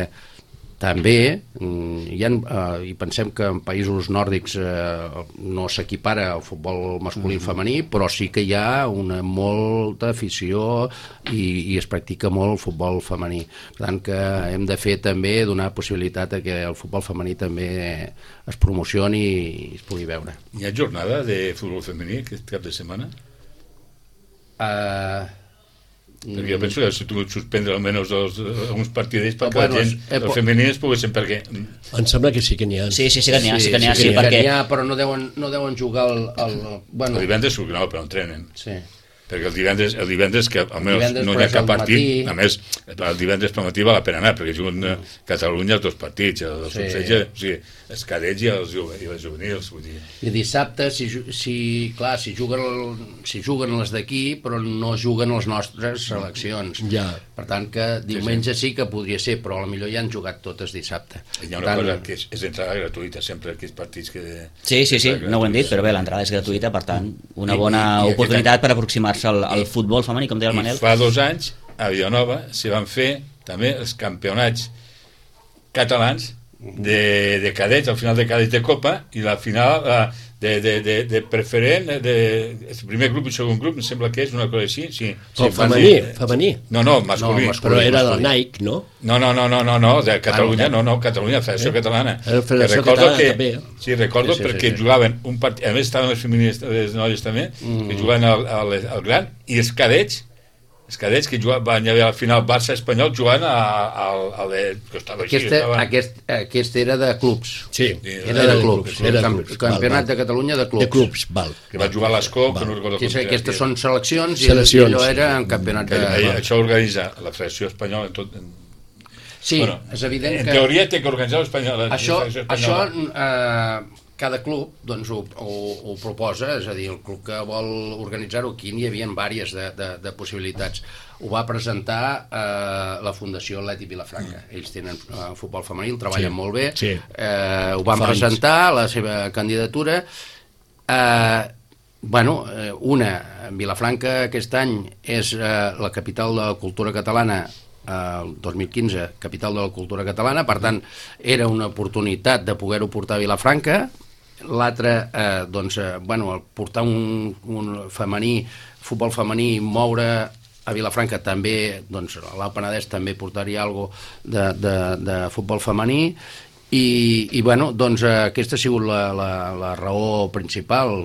Speaker 4: també hi ha, eh, i pensem que en països nòrdics eh, no s'equipara el futbol masculí i femení, però sí que hi ha una molta afició i, i es practica molt el futbol femení. Per tant que hem de fer també donar possibilitat a que el futbol femení també es promocioni i es pugui veure.
Speaker 3: Hi ha jornada de futbol femení aquest cap de setmana?
Speaker 4: Uh,
Speaker 3: Perquè jo penso que si tu suspendre almenys els, alguns partidets perquè
Speaker 4: bueno,
Speaker 3: la gent,
Speaker 4: eh,
Speaker 3: els femenins poguessin, perquè...
Speaker 2: Em sembla que sí que n'hi ha.
Speaker 1: Sí, sí, sí que n'hi ha, sí, sí que n'hi ha,
Speaker 4: sí,
Speaker 1: sí,
Speaker 4: sí,
Speaker 1: perquè...
Speaker 4: n'hi ha, però no deuen, no deuen jugar el... el bueno,
Speaker 3: El divendres no, però entrenen.
Speaker 4: sí.
Speaker 3: Perquè el divendres, el divendres que almenys
Speaker 4: divendres,
Speaker 3: no hi
Speaker 4: però
Speaker 3: ha
Speaker 4: és
Speaker 3: cap
Speaker 4: al
Speaker 3: partit,
Speaker 4: matí.
Speaker 3: a més, el divendres per matí val la pena anar, perquè juguen a Catalunya els dos partits, el
Speaker 4: Sí.
Speaker 3: sí. o sigui, els cadets i els juve, i les juvenils, vull dir.
Speaker 4: I dissabte, si, ju- si, clar, si juguen, si juguen les d'aquí, però no juguen les nostres seleccions.
Speaker 2: Ja.
Speaker 4: Per tant que diumenge sí que podria ser, però potser ja han jugat totes dissabte.
Speaker 3: Hi ha una
Speaker 4: Per tant,
Speaker 3: cosa que és, és entrada gratuïta, sempre aquells partits que...
Speaker 1: Sí, sí, sí, no ho hem dit, però bé, l'entrada és gratuïta, per tant, una bona oportunitat per aproximar-se al, al futbol femení, com deia el Manel.
Speaker 3: I fa dos anys, a Vilanova, s'hi van fer també els campionats catalans de, de cadets, al final de cadets de Copa, i la final eh, de, de, de, de preferent, de, el primer grup i segon grup, em sembla que és una cosa així. Sí,
Speaker 2: Però
Speaker 3: sí,
Speaker 2: femení,
Speaker 3: sí.
Speaker 2: femení.
Speaker 3: No, no, masculí.
Speaker 4: No, masculí.
Speaker 2: Però era del
Speaker 4: masculí.
Speaker 2: Nike, no?
Speaker 3: No, no, no, no, no, no, de Catalunya,
Speaker 4: Ah,
Speaker 3: no, no, Catalunya, Federació
Speaker 2: Eh?
Speaker 3: Catalana.
Speaker 2: La Federació
Speaker 3: Que recordo
Speaker 2: Catalana
Speaker 3: que,
Speaker 2: també.
Speaker 3: Sí, recordo
Speaker 4: Sí, sí,
Speaker 3: perquè
Speaker 4: sí, sí.
Speaker 3: jugaven un partit, a més estaven les feministes, les noies també,
Speaker 4: Mm.
Speaker 3: que jugaven al, al, al gran, i els cadets, els cadets que jugaven, van haver al final Barça-Espanyol jugant al, al de... que estava així,
Speaker 4: Aquest,
Speaker 3: estava...
Speaker 4: aquest, aquest era de clubs.
Speaker 2: Sí,
Speaker 4: Era de clubs.
Speaker 2: Era de
Speaker 4: Camp-
Speaker 2: clubs.
Speaker 4: Campionat
Speaker 2: val,
Speaker 4: de Catalunya de
Speaker 2: val.
Speaker 4: clubs.
Speaker 2: De clubs, val.
Speaker 3: que va jugar a l'Escó, que
Speaker 2: Val.
Speaker 3: no recordo
Speaker 4: Que
Speaker 3: com
Speaker 4: és,
Speaker 3: era,
Speaker 4: aquestes
Speaker 3: que-
Speaker 4: són seleccions i
Speaker 2: Seleccions.
Speaker 4: allò era en campionat
Speaker 3: que,
Speaker 4: de...
Speaker 3: eh, això organitza la Federació Espanyola en tot... En,
Speaker 4: Sí, és evident
Speaker 3: en
Speaker 4: que...
Speaker 3: teoria té que organitzar l'Espanyol. la
Speaker 4: Això,
Speaker 3: Federació
Speaker 4: això
Speaker 3: Espanyola.
Speaker 4: eh, cada club doncs, ho, ho, ho proposa, és a dir, el club que vol organitzar-ho, aquí n'hi havia diverses de, de, de possibilitats. Ho va presentar eh, la Fundació Atlètic Vilafranca. Ells tenen eh, futbol femení, el treballen
Speaker 2: Sí,
Speaker 4: molt bé.
Speaker 2: sí.
Speaker 4: Eh, ho van
Speaker 2: Fa anys.
Speaker 4: presentar, la seva candidatura. Eh, bueno, eh, una, Vilafranca aquest any és eh, la capital de la cultura catalana, el dos mil quinze, capital de la cultura catalana, per tant, era una oportunitat de poder-ho portar a Vilafranca. L'altre, eh, doncs, eh, bueno, el portar un, un femení, futbol femení, moure a Vilafranca també, doncs, a l'Alt Penedès també portaria alguna de, de, de futbol femení, i, i bueno, doncs eh, aquesta ha sigut la, la, la raó principal.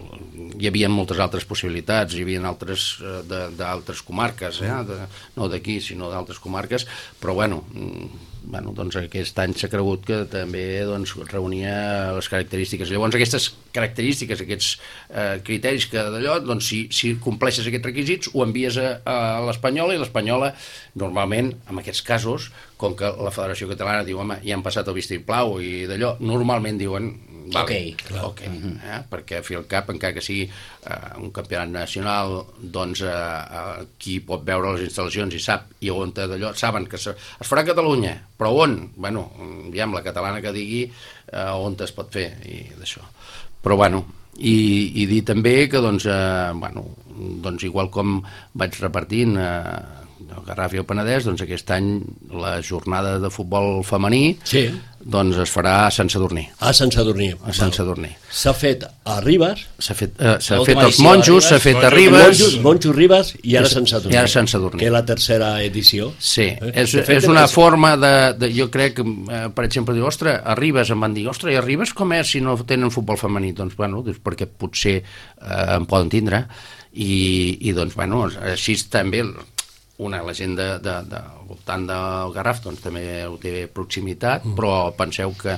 Speaker 4: Hi havia moltes altres possibilitats, hi havia altres eh, de- d'altres comarques, eh? de, no d'aquí, sinó d'altres comarques, però bueno, mm, bueno, doncs aquest any s'ha cregut que també doncs, reunia les característiques. Llavors aquestes característiques, aquests eh, criteris que d'allò, doncs si, si compleixes aquests requisits ho envies a, a l'Espanyola, i l'Espanyola normalment, en aquests casos, com que la Federació Catalana diu, home, ja han passat el vistiplau i d'allò, normalment diuen vale,
Speaker 1: Ok.
Speaker 4: ok, eh? perquè a fi al cap, encara que sigui eh, un campionat nacional, doncs eh, eh, qui pot veure les instal·lacions i sap, i on té d'allò, saben que se, es farà a Catalunya, però on? Bueno, diguem, la catalana que digui eh, on es pot fer, i d'això. Però bueno, i, i dir també que doncs, eh, bueno, doncs igual com vaig repartint eh, el Garraf i el Penedès, doncs aquest any la jornada de futbol femení
Speaker 2: Sí.
Speaker 4: doncs es farà a Sant Sadurní.
Speaker 2: A Sant Sadurní.
Speaker 4: A Sant Sadurní.
Speaker 2: S'ha fet a Ribes,
Speaker 4: S'ha fet, eh, s'ha
Speaker 1: L'última
Speaker 4: fet als
Speaker 1: edició a
Speaker 4: monjos,
Speaker 1: Ribes.
Speaker 4: s'ha fet a
Speaker 3: Monjos,
Speaker 4: Ribes...
Speaker 2: Monjos, Monjos Ribes i ara
Speaker 4: I
Speaker 2: Sant Sadurní.
Speaker 4: i ara Sant Sadurní.
Speaker 2: Que és la tercera edició.
Speaker 4: Sí,
Speaker 2: Eh?
Speaker 4: és,
Speaker 2: De fet,
Speaker 4: és una
Speaker 2: és-
Speaker 4: forma de, de... Jo crec, eh, per exemple, dir, ostres, a Ribes em van dir, ostres, i a Ribes com és si no tenen futbol femení? Doncs, bueno, doncs perquè potser eh, en poden tindre. I, i doncs, bueno, així també una, la gent de, de, de, al voltant del Garraf doncs, també ho té proximitat, mm. però penseu que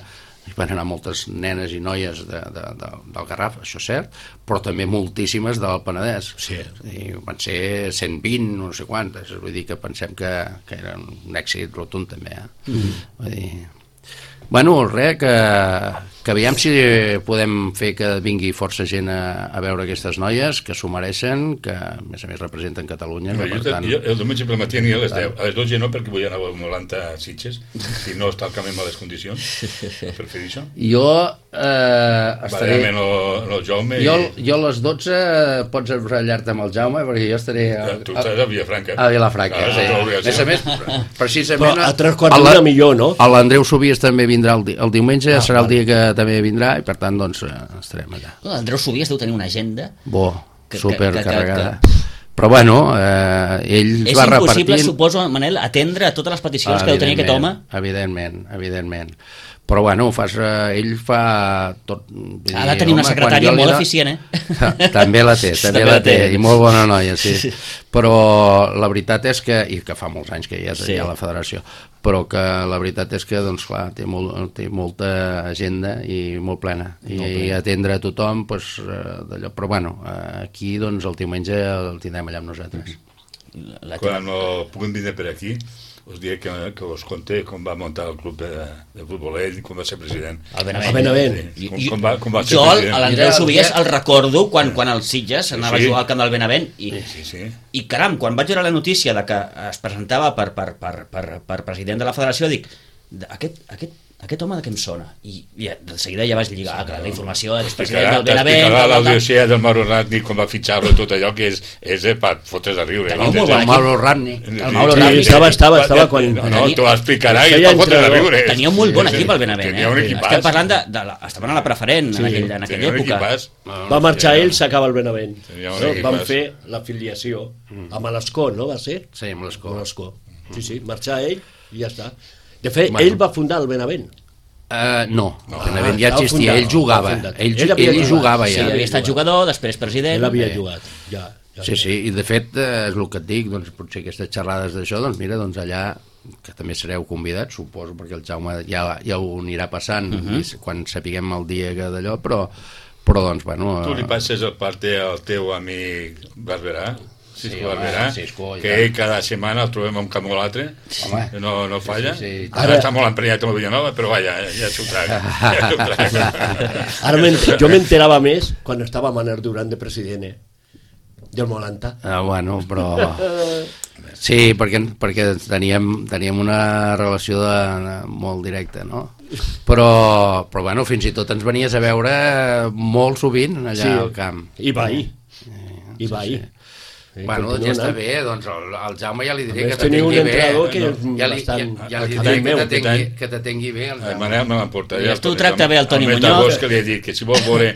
Speaker 4: hi van anar moltes nenes i noies de, de, de, del Garraf, això és cert, però també moltíssimes del Penedès.
Speaker 2: Sí.
Speaker 4: I van ser cent vint, no sé quantes, vull dir que pensem que, que era un èxit rotund també. Eh? Mm. Vull dir... Bueno, res, que, que aviam si podem fer que vingui força gent a, a veure aquestes noies, que s'ho mereixen, que a més a més representen Catalunya.
Speaker 3: No,
Speaker 4: que,
Speaker 3: jo,
Speaker 4: per tant...
Speaker 3: jo, el diumenge per matí aniré a les deu. A les dotze no, perquè vull anar a Molanta a Sitges, si no està el camp en males condicions, per fer això.
Speaker 4: Jo eh, estaré...
Speaker 3: Va amb el Jaume
Speaker 4: jo,
Speaker 3: i...
Speaker 4: jo a les dotze pots ratllar-te amb el Jaume, perquè jo estaré... A,
Speaker 3: Tu estàs a Vilafranca.
Speaker 4: A Vilafranca,
Speaker 3: Ah,
Speaker 4: sí.
Speaker 3: no,
Speaker 4: A més a més, precisament...
Speaker 2: Però a tres quarts
Speaker 4: a la-
Speaker 2: d'una millor, no?
Speaker 4: L'Andreu Subies també vindrà el, di el diumenge,
Speaker 2: Ah,
Speaker 4: serà el
Speaker 2: vale.
Speaker 4: dia que també vindrà, i per tant, doncs, eh, estarem allà.
Speaker 1: L'Andreu Subies deu tenir una agenda.
Speaker 4: Bo,
Speaker 1: Que- que-
Speaker 4: supercarregada.
Speaker 1: que- que-
Speaker 4: Però bueno, eh, ell
Speaker 1: És
Speaker 4: va
Speaker 1: impossible,
Speaker 4: repartint...
Speaker 1: suposo, Manel, atendre a totes les peticions que deu tenir aquest home.
Speaker 4: Evidentment, evidentment. Però bueno, fas, eh, ell fa tot... vull
Speaker 1: Ha
Speaker 4: dir,
Speaker 1: de tenir una
Speaker 4: home,
Speaker 1: secretària
Speaker 4: quan jo li
Speaker 1: molt
Speaker 4: do-
Speaker 1: eficient, eh?
Speaker 4: També la té, també la té, i molt bona noia, sí.
Speaker 1: Sí.
Speaker 4: Però la veritat és que, i que fa molts anys que hi ha,
Speaker 1: Sí.
Speaker 4: hi ha la federació, però que la veritat és que, doncs clar, té, molt, té molta agenda i molt plena, i, i atendre a tothom, doncs, eh, d'allò. Però bueno, eh, aquí, doncs, el diumenge el tindrem allà amb nosaltres.
Speaker 1: La
Speaker 3: Quan no puguem vindre per aquí, us diré que, que us conté com va muntar el club de, de futbol ell, com va ser president.
Speaker 1: El Benavent.
Speaker 2: El Benavent.
Speaker 3: Sí, com, com, va, com va ser
Speaker 1: Jo,
Speaker 3: president.
Speaker 1: a l'Andreu
Speaker 4: Mira,
Speaker 1: Subies,
Speaker 4: ja-
Speaker 1: el recordo quan, quan el Sitges anava
Speaker 3: Sí.
Speaker 1: a jugar al camp del Benavent i,
Speaker 3: Sí, sí.
Speaker 1: i caram, quan vaig veure la notícia de que es presentava per, per, per, per, per president de la federació, dic, aquest, aquest, aquest home de què em sona? I, i de seguida ja vaig lligar sí, la informació del president del Benavent.
Speaker 3: T'explicarà
Speaker 1: tal, tal, tal.
Speaker 3: l'audiència del Mauro Ratni com va fitxar-lo, tot allò que és, és eh, per fotre's a riure.
Speaker 1: Teniu
Speaker 3: no?
Speaker 1: molt
Speaker 4: El
Speaker 1: bon equip.
Speaker 4: Mauro Ratni.
Speaker 1: El Mauro
Speaker 2: Sí,
Speaker 1: Ratni.
Speaker 2: estava, estava, estava quan...
Speaker 3: No, no, t'ho explicarà i
Speaker 2: Feia
Speaker 3: és per fotre's a
Speaker 2: entrenador.
Speaker 3: riure.
Speaker 1: Tenia un molt bon equip al Benavent.
Speaker 3: Tenia un
Speaker 1: Eh?
Speaker 3: equipàs.
Speaker 1: Estem parlant de... de la, estaven a la preferent
Speaker 2: Sí,
Speaker 1: en, aquell, en aquella
Speaker 3: Tenia un
Speaker 1: època.
Speaker 3: equipàs.
Speaker 2: Va marxar ell, s'acaba el Benavent.
Speaker 3: Tenia un
Speaker 2: No?
Speaker 3: equipàs.
Speaker 2: Van fer l'afiliació amb l'Escó, no va ser?
Speaker 4: Sí, amb l'escó.
Speaker 2: Amb l'Escó. Sí, sí, marxar ell i ja està. De fet,
Speaker 4: Bueno.
Speaker 2: ell va fundar el Benavent.
Speaker 4: Uh, no,
Speaker 3: No.
Speaker 4: el Benavent ja
Speaker 2: Ah,
Speaker 4: existia,
Speaker 2: el
Speaker 4: ell jugava,
Speaker 2: fundat.
Speaker 4: ell,
Speaker 2: Ell
Speaker 4: ell,
Speaker 2: havia
Speaker 4: ell
Speaker 2: jugat.
Speaker 4: jugava
Speaker 1: Sí,
Speaker 4: ja.
Speaker 1: havia estat jugador, després president.
Speaker 2: Ell havia
Speaker 1: Eh,
Speaker 2: jugat, ja. ja
Speaker 4: Sí, sí, i de fet, eh, és el que et dic, doncs potser aquestes xerrades d'això, doncs mira, doncs allà, que també sereu convidats, suposo, perquè el Jaume ja, ja ho anirà passant, uh -huh. i quan sapiguem el dia que d'allò, però, però doncs, bueno...
Speaker 3: Tu li
Speaker 4: eh,
Speaker 3: passes el parte al teu amic Barberà, Cisco
Speaker 4: Sí, home,
Speaker 3: Barberà,
Speaker 4: Cisco, i
Speaker 3: que
Speaker 4: tant.
Speaker 3: ell cada setmana el trobem un camp o l'altre,
Speaker 4: Home.
Speaker 3: no, no falla.
Speaker 4: Sí, sí, sí.
Speaker 3: Ara està molt emprenyat amb el Villanova, però vaja, ja s'ho traga. Ja s'ho traga.
Speaker 2: Ara m'ent- jo m'enterava més quan estava Manel Duran de president, eh? Del Molanta.
Speaker 4: Ah, bueno, però... Sí, perquè, perquè teníem, teníem una relació de, de, molt directa, no? Però, però, bueno, fins i tot ens venies a veure molt sovint allà
Speaker 2: Sí,
Speaker 4: al camp.
Speaker 2: I va ahir. I va
Speaker 4: sí.
Speaker 2: ahir. Sí,
Speaker 4: Bueno,
Speaker 2: continua
Speaker 4: ja està
Speaker 2: anant.
Speaker 4: bé, doncs el, el Jaume ja li
Speaker 2: A
Speaker 4: diré
Speaker 2: més,
Speaker 4: que
Speaker 2: teniu un
Speaker 4: t'atengui bé.
Speaker 2: entrenador que
Speaker 3: no?
Speaker 2: és
Speaker 4: Ja li,
Speaker 2: bastant...
Speaker 4: ja, ja li
Speaker 3: el
Speaker 4: diré
Speaker 3: meu,
Speaker 4: que
Speaker 3: aquest
Speaker 4: t'atengui
Speaker 3: any.
Speaker 4: que t'atengui bé. El
Speaker 3: El
Speaker 4: Jaume.
Speaker 3: Manel me l'emportaria.
Speaker 1: I tu tracta bé el Toni
Speaker 3: mes
Speaker 1: Muñoz.
Speaker 3: d'agost, que li he dit que si vol veure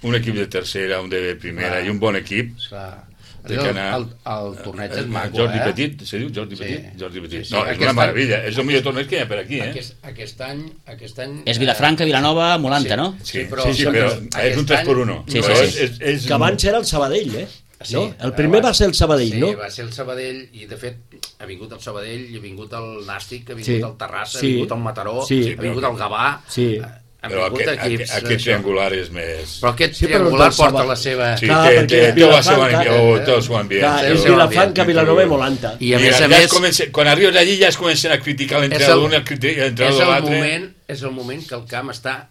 Speaker 3: un equip de tercera, un de primera
Speaker 4: Clar.
Speaker 3: i un bon equip,
Speaker 4: Clar.
Speaker 3: Té
Speaker 4: El,
Speaker 3: que
Speaker 4: el,
Speaker 3: anar-
Speaker 4: el, el torneig és maco,
Speaker 3: Jordi
Speaker 4: eh?
Speaker 3: Petit, se diu Jordi
Speaker 4: Sí.
Speaker 3: Petit? Jordi Petit.
Speaker 4: Sí, sí.
Speaker 3: No, és
Speaker 4: Aquest
Speaker 3: una
Speaker 4: any-
Speaker 3: meravella, és el millor torneig que hi ha per aquí, eh?
Speaker 4: Aquest, aquest any... Aquest any
Speaker 1: És Vilafranca, Vilanova, Molanta, no?
Speaker 3: Sí,
Speaker 4: Sí, però-
Speaker 3: sí, sí, però
Speaker 4: aquest
Speaker 3: és un tres
Speaker 4: any-
Speaker 3: per uno.
Speaker 1: Sí,
Speaker 3: Però
Speaker 1: sí,
Speaker 3: és,
Speaker 1: sí.
Speaker 3: és, és,
Speaker 2: Que abans era el Sabadell, eh?
Speaker 4: Sí,
Speaker 2: No? El primer va ser el Sabadell,
Speaker 4: sí,
Speaker 2: no?
Speaker 4: va ser el Sabadell, i de fet ha vingut el Sabadell, i ha vingut el Nàstic, ha vingut
Speaker 2: Sí.
Speaker 4: el Terrassa,
Speaker 2: Sí.
Speaker 4: ha vingut el Mataró,
Speaker 2: Sí.
Speaker 4: ha vingut el Gavà,
Speaker 2: Sí.
Speaker 4: eh, han
Speaker 3: Però
Speaker 4: vingut
Speaker 3: aquest,
Speaker 4: equips...
Speaker 3: aquest, aquest
Speaker 4: això.
Speaker 3: triangular és més...
Speaker 4: Però aquest
Speaker 2: Sí, però
Speaker 4: triangular
Speaker 2: del
Speaker 4: porta
Speaker 2: Sabadell-
Speaker 4: la seva...
Speaker 3: Sí,
Speaker 2: Clar,
Speaker 3: té,
Speaker 2: perquè
Speaker 3: té,
Speaker 2: és
Speaker 3: té el seu
Speaker 2: Vilafranca,
Speaker 3: ambient, oh, té el seu ambient.
Speaker 2: Clar,
Speaker 3: té
Speaker 2: és
Speaker 3: el seu
Speaker 2: Vilafranca,
Speaker 3: ambient.
Speaker 2: Vilanova i Molanta.
Speaker 4: I a
Speaker 3: I
Speaker 4: més a
Speaker 3: ja
Speaker 4: més...
Speaker 3: es comença, quan arribes allí ja es comencen a criticar
Speaker 4: és
Speaker 3: l'entrenador
Speaker 4: el,
Speaker 3: d'un, l'entrenador
Speaker 4: és
Speaker 3: de
Speaker 4: el
Speaker 3: l'altre.
Speaker 4: moment, és el moment que el camp està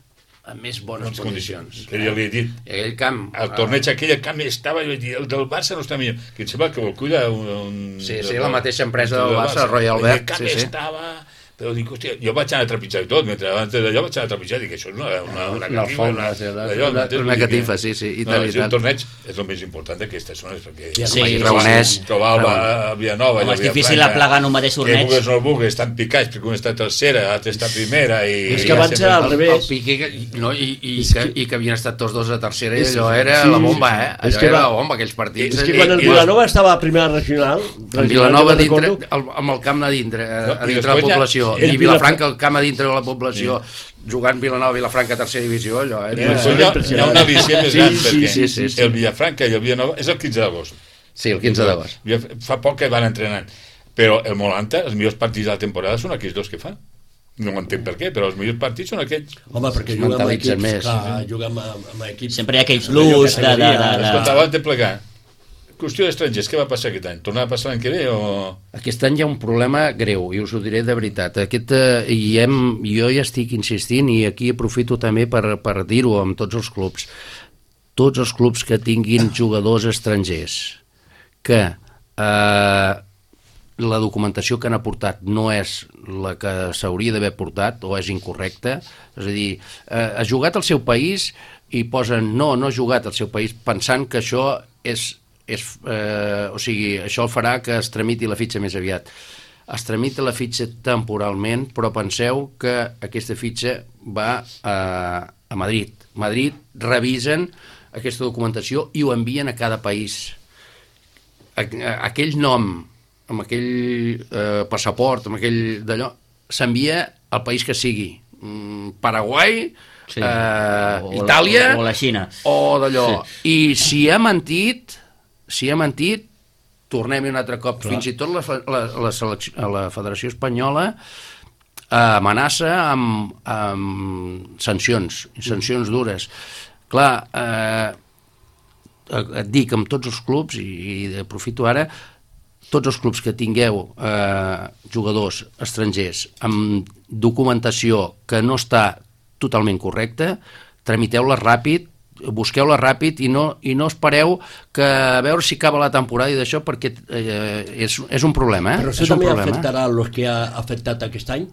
Speaker 4: en més bones
Speaker 3: Bones
Speaker 4: condicions.
Speaker 3: condicions. Que jo li he dit.
Speaker 4: I aquell camp...
Speaker 3: El torneig aquell, el camp estava, jo vaig dir, el del Barça no està millor. Que em sembla que el cuida un... un
Speaker 4: Sí, sí, la mateixa empresa del Barça, Royal
Speaker 3: El
Speaker 4: Albert,
Speaker 3: camp
Speaker 4: sí, sí.
Speaker 3: estava... Però dic, hòstia, jo vaig anar a trepitjar i tot, mentre abans d'allò vaig anar a trepitjar i dic, això és una, una, una
Speaker 4: Una
Speaker 3: catifa,
Speaker 4: alfombra, sí, una-
Speaker 3: d'allò,
Speaker 4: una-
Speaker 3: m'entens?
Speaker 4: una
Speaker 3: Vull dir
Speaker 4: catifa,
Speaker 3: que-
Speaker 4: sí, sí, i
Speaker 3: no,
Speaker 4: tant, i
Speaker 3: és un
Speaker 4: tant.
Speaker 3: torneig és el més important d'aquestes zones, perquè...
Speaker 2: Sí,
Speaker 1: Sí,
Speaker 2: sí,
Speaker 4: Raonès.
Speaker 3: Trobar el a Villanova...
Speaker 1: Home, és
Speaker 3: i a
Speaker 1: difícil
Speaker 3: Vilafranca,
Speaker 1: aplegar en un mateix torneig.
Speaker 3: Que vulguis o no vulguis, estan picats, perquè un està tercera, l'altre està primera, i...
Speaker 2: És
Speaker 3: i
Speaker 2: que
Speaker 3: ja
Speaker 2: abans
Speaker 3: sempre-
Speaker 2: era al
Speaker 4: El,
Speaker 2: revés.
Speaker 4: el Piqué, que, no, i, i,
Speaker 2: És
Speaker 4: que,
Speaker 2: que-
Speaker 4: i que havien estat tots dos a tercera, i
Speaker 2: És-
Speaker 4: allò era
Speaker 2: sí,
Speaker 4: la bomba, eh?
Speaker 2: és
Speaker 4: Allò
Speaker 2: que
Speaker 4: era
Speaker 2: va-
Speaker 4: la bomba, aquells partits.
Speaker 2: És que
Speaker 3: I-
Speaker 2: quan el
Speaker 3: i-
Speaker 2: Vilanova estava a primera regional...
Speaker 4: En
Speaker 2: regional,
Speaker 4: Vilanova,
Speaker 2: jo
Speaker 4: dintre,
Speaker 2: recordo,
Speaker 4: el, amb el camp a dintre, a,
Speaker 3: No,
Speaker 4: a
Speaker 3: i
Speaker 4: dintre de la
Speaker 3: després ja-
Speaker 4: població,
Speaker 2: el
Speaker 4: i
Speaker 2: Vilafranca-
Speaker 4: Vilafranca, el camp a dintre de la població, jugant Vilanova, Vilafranca, tercera divisió, allò
Speaker 3: I
Speaker 4: era...
Speaker 3: després hi ha, hi ha un al·licient més
Speaker 2: Sí,
Speaker 3: gran,
Speaker 2: sí,
Speaker 3: perquè
Speaker 4: sí, sí, sí.
Speaker 3: el Vilafranca i el Villanova és el quinze d'agost.
Speaker 4: Sí, el quinze d'agost.
Speaker 3: Fa poc que van entrenant. Però el Molanta, els millors partits de la temporada són aquells dos que fan. No entenc per què, però els millors partits són aquests.
Speaker 2: Home, perquè
Speaker 4: Es
Speaker 2: juga amb
Speaker 4: mentalitzen
Speaker 2: equips,
Speaker 4: més.
Speaker 2: clar, juga amb, amb equips...
Speaker 1: Sempre hi ha aquell plus de... de, de, de...
Speaker 3: Escolta, abans de plegar, qüestió d'estrangers, què va passar aquest any? Tornarà a passar l'any que ve o...?
Speaker 4: Aquest any hi ha un problema greu, i us ho diré de veritat. Aquest, eh, i hem, jo ja estic insistint, i aquí aprofito també per, per dir-ho amb tots els clubs. Tots els clubs que tinguin jugadors estrangers, que eh, la documentació que han aportat no és la que s'hauria d'haver portat o és incorrecta, és a dir, eh, ha jugat al seu país i posen no, no ha jugat al seu país pensant que això és, és eh, o sigui, això farà que es tramiti la fitxa més aviat. Es tramita la fitxa temporalment, però penseu que aquesta fitxa va a, a Madrid. Madrid revisen aquesta documentació i ho envien a cada país. Aquell nom, amb aquell eh, passaport, amb aquell d'allò, s'envia al país que sigui. Paraguai, sí. eh,
Speaker 1: o
Speaker 4: Itàlia
Speaker 1: la, o la Xina
Speaker 4: o d'allò, sí. I si ha mentit si ha mentit tornem-hi un altre cop. Clar. Fins i tot la, la, la, selecció, la Federació Espanyola eh, amenaça amb, amb sancions sancions dures. Clar, eh, et dic amb tots els clubs, i, i aprofito ara, tots els clubs que tingueu eh, jugadors estrangers amb documentació que no està totalment correcta, tramiteu-la ràpid, busqueu-la ràpid i no, i no espereu que a veure si acaba la temporada i d'això, perquè eh, és, és un problema. Eh?
Speaker 2: Però això
Speaker 4: és
Speaker 2: també
Speaker 4: problema.
Speaker 2: afectarà els que ha afectat aquest any?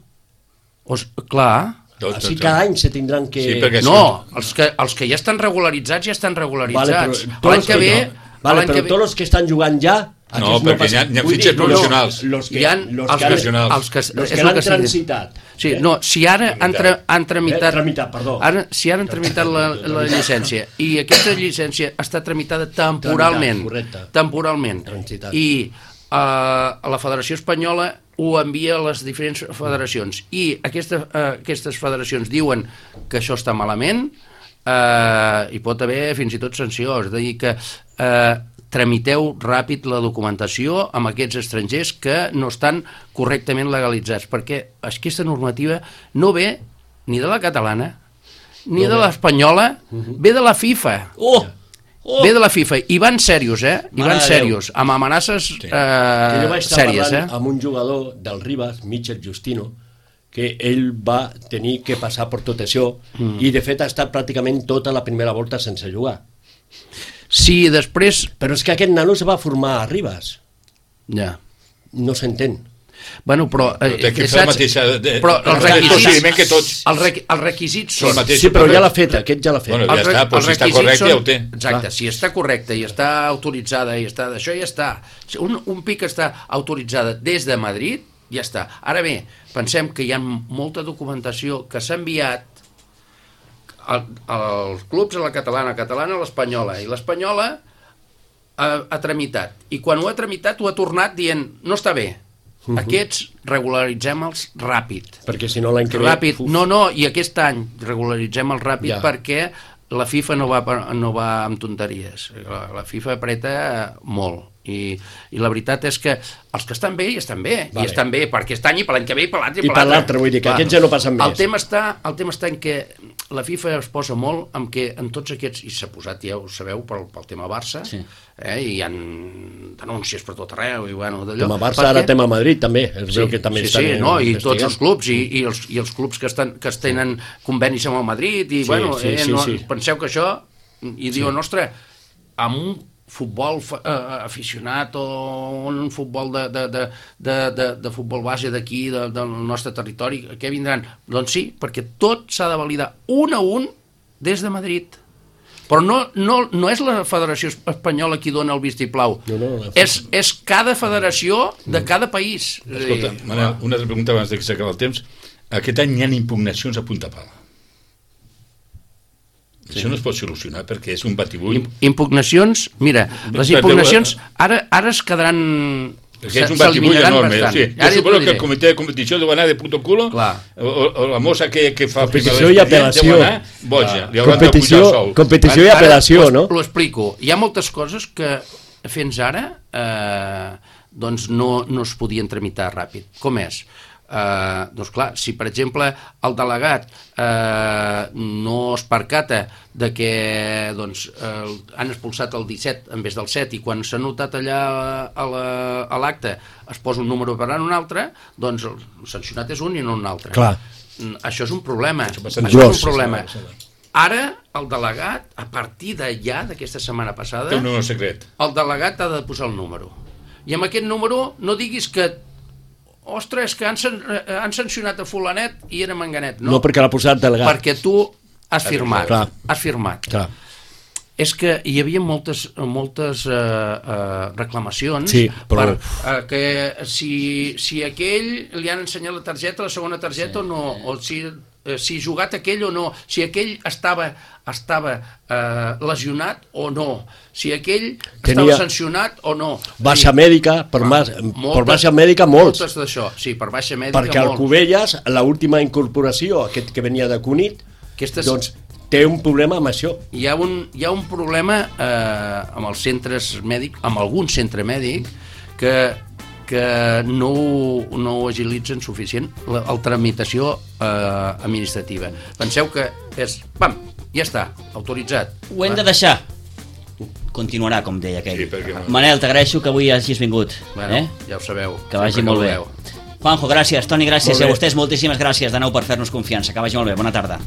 Speaker 4: Os, clar.
Speaker 3: Tot,
Speaker 2: Així
Speaker 3: tot,
Speaker 2: cada any se tindran que...
Speaker 3: Sí, perquè
Speaker 4: no, els que, els que ja estan regularitzats ja estan regularitzats.
Speaker 2: Vale,
Speaker 4: l'any que ve...
Speaker 2: no. Vale, però
Speaker 4: que ve...
Speaker 2: tots els que estan jugant ja...
Speaker 3: No, perquè
Speaker 2: no
Speaker 3: hi ha, hi ha fitxes
Speaker 2: dir,
Speaker 3: professionals.
Speaker 2: No, los que,
Speaker 4: hi ha
Speaker 2: los
Speaker 4: els
Speaker 2: que,
Speaker 3: professionals.
Speaker 4: Els que,
Speaker 2: los
Speaker 4: és
Speaker 2: que
Speaker 4: el
Speaker 2: l'han
Speaker 4: que
Speaker 2: transitat.
Speaker 4: Sí, no, si ara han, tra, han tramitat...
Speaker 2: Eh, tramitat, perdó.
Speaker 4: Ara, si ara han tramitat la, la llicència i aquesta llicència està tramitada temporalment,
Speaker 2: Tramitat,
Speaker 4: temporalment,
Speaker 2: Transitat.
Speaker 4: i uh, la Federació Espanyola ho envia a les diferents federacions i aquesta, uh, aquestes federacions diuen que això està malament, uh, hi pot haver fins i tot sanció, és a dir que uh, tramiteu ràpid la documentació amb aquests estrangers que no estan correctament legalitzats, perquè aquesta normativa no ve ni de la catalana ni no de l'espanyola, uh-huh. ve de la FIFA.
Speaker 1: Oh! Oh!
Speaker 4: Ve de la FIFA, i van serios, eh? I van serios, amb amenaces
Speaker 2: Sí.
Speaker 4: eh,
Speaker 2: jo vaig estar
Speaker 4: sèries,
Speaker 2: parlant
Speaker 4: eh?
Speaker 2: amb un jugador del Ribas, Michel Justino, que ell va tenir que passar per tot això mm. i de fet ha estat pràcticament tota la primera volta sense jugar.
Speaker 4: Sí, després...
Speaker 2: Però és que aquest nano se va formar a Ribas.
Speaker 4: Ja.
Speaker 2: No s'entén.
Speaker 4: Bueno, però...
Speaker 3: Però té que fer la mateixa... De,
Speaker 4: però els requisits,
Speaker 3: que tots.
Speaker 4: Els, requ, els requisits són...
Speaker 3: mateix,
Speaker 2: Sí, però ja l'ha fet, aquest ja l'ha fet.
Speaker 3: Bueno, ja
Speaker 4: els,
Speaker 3: està, però si està correcte
Speaker 4: són,
Speaker 3: ja ho té.
Speaker 4: Exacte,
Speaker 2: Clar.
Speaker 4: si està correcta i està autoritzada i està d'això, ja està. Un, un pic està autoritzada des de Madrid, ja està. Ara bé, pensem que hi ha molta documentació que s'ha enviat als clubs, a la catalana, a catalana, a l'espanyola, i l'espanyola ha, ha tramitat. I quan ho ha tramitat, ho ha tornat dient, no està bé. Uh -huh. Aquests regularitzem-los ràpid.
Speaker 2: Perquè si no l'any que ve...
Speaker 4: Ràpid. No, no, i aquest any regularitzem-los ràpid ja. Perquè la FIFA no va, no va amb tonteries. La, la FIFA apreta molt. I, I la veritat és que els que estan bé, hi estan bé. Vale. I estan bé per aquest any i per l'any que ve i per l'altre
Speaker 2: i per l'altre. Vull dir que aquests ja no passen més.
Speaker 4: El tema està, el tema està en que la FIFA es posa molt en que en tots aquests, i s'ha posat, ja ho sabeu, pel, pel tema Barça, sí. eh, i hi ha denúncies per tot arreu, i bueno, d'allò.
Speaker 2: Tema Barça, ara tema Madrid, també. Es
Speaker 4: sí,
Speaker 2: veu que també
Speaker 4: sí,
Speaker 2: estan
Speaker 4: sí, no, i tots els clubs, i,
Speaker 2: sí.
Speaker 4: i, els, i els clubs que, estan, que es tenen convenis amb el Madrid, i
Speaker 2: sí,
Speaker 4: bueno,
Speaker 2: sí,
Speaker 4: eh,
Speaker 2: sí,
Speaker 4: no,
Speaker 2: sí.
Speaker 4: penseu que això, i diuen, sí. ostres, amb un futbol eh, aficionat o un futbol de, de, de, de, de, de futbol base d'aquí, de, del nostre territori, què vindran? Doncs sí, perquè tot s'ha de validar un a un des de Madrid. Però no, no, no és la Federació Espanyola qui dona el vistiplau,
Speaker 2: no, no, no,
Speaker 4: és, és cada federació de cada país.
Speaker 3: Escolta, Manel, una altra pregunta abans que s'acabi el temps. Aquest any hi ha impugnacions a punta pala. Sí. Això no es pot solucionar perquè és un batibull.
Speaker 4: Impugnacions, mira, les impugnacions ara, ara es quedaran...
Speaker 3: Perquè és un batibull enorme. Sí. Jo suposo que el comitè de competició deu anar de puto culo, o, o la mossa que, que fa...
Speaker 2: Competició i apel·lació.
Speaker 3: Boja, li
Speaker 2: hauran de pujar sou. Competició i apel·lació, no?
Speaker 4: L'ho explico. Hi ha moltes coses que fins ara eh, doncs no, no es podien tramitar ràpid. Com és? eh, doncs clar, si per exemple el delegat eh, no es percata de que doncs, eh, han expulsat el disset en vez del set i quan s'ha notat allà a l'acte es posa un número per un altre, doncs el sancionat és un i no un altre.
Speaker 2: Clar.
Speaker 4: Això és un problema. Això,
Speaker 2: Això
Speaker 4: és un problema. Ara, el delegat, a partir d'allà, d'aquesta setmana passada,
Speaker 3: té un número secret.
Speaker 4: El delegat ha de posar el número. I amb aquest número no diguis que ostres, que han, han sancionat a fulanet i era manganet. No,
Speaker 2: no perquè l'ha posat delegat.
Speaker 4: Perquè tu has firmat.
Speaker 2: Clar.
Speaker 4: Has firmat.
Speaker 2: Clar.
Speaker 4: És que hi havia moltes, moltes uh, uh, reclamacions
Speaker 2: sí, però...
Speaker 4: per uh, que si, si aquell li han ensenyat la targeta, la segona targeta sí. o no, o si, uh, si jugat aquell o no, si aquell estava, estava uh, lesionat o no, si aquell Tenia... estava sancionat o no.
Speaker 2: Baixa sí. mèdica, per, ah, mas, moltes, per baixa mèdica molts.
Speaker 4: Moltes d'això, sí, per baixa mèdica
Speaker 2: Perquè
Speaker 4: molts.
Speaker 2: el Cubelles, l'última incorporació, aquest que venia de Cunit, Aquestes... doncs té un problema amb això.
Speaker 4: Hi ha un, hi ha un problema eh, amb els centres mèdics, amb algun centre mèdic, que, que no, no ho agilitzen suficient la, la tramitació eh, administrativa. Penseu que és, pam, ja està, autoritzat.
Speaker 1: Ho hem de deixar. Continuarà, com deia aquell.
Speaker 3: Sí, perquè...
Speaker 1: Manel, t'agraeixo que avui hagis vingut.
Speaker 4: Bueno,
Speaker 1: eh?
Speaker 4: ja ho sabeu.
Speaker 1: Que vagi molt bé. Juanjo, gràcies. Toni, gràcies. I a vostès moltíssimes gràcies de nou per fer-nos confiança. Que vagi molt bé. Bona tarda.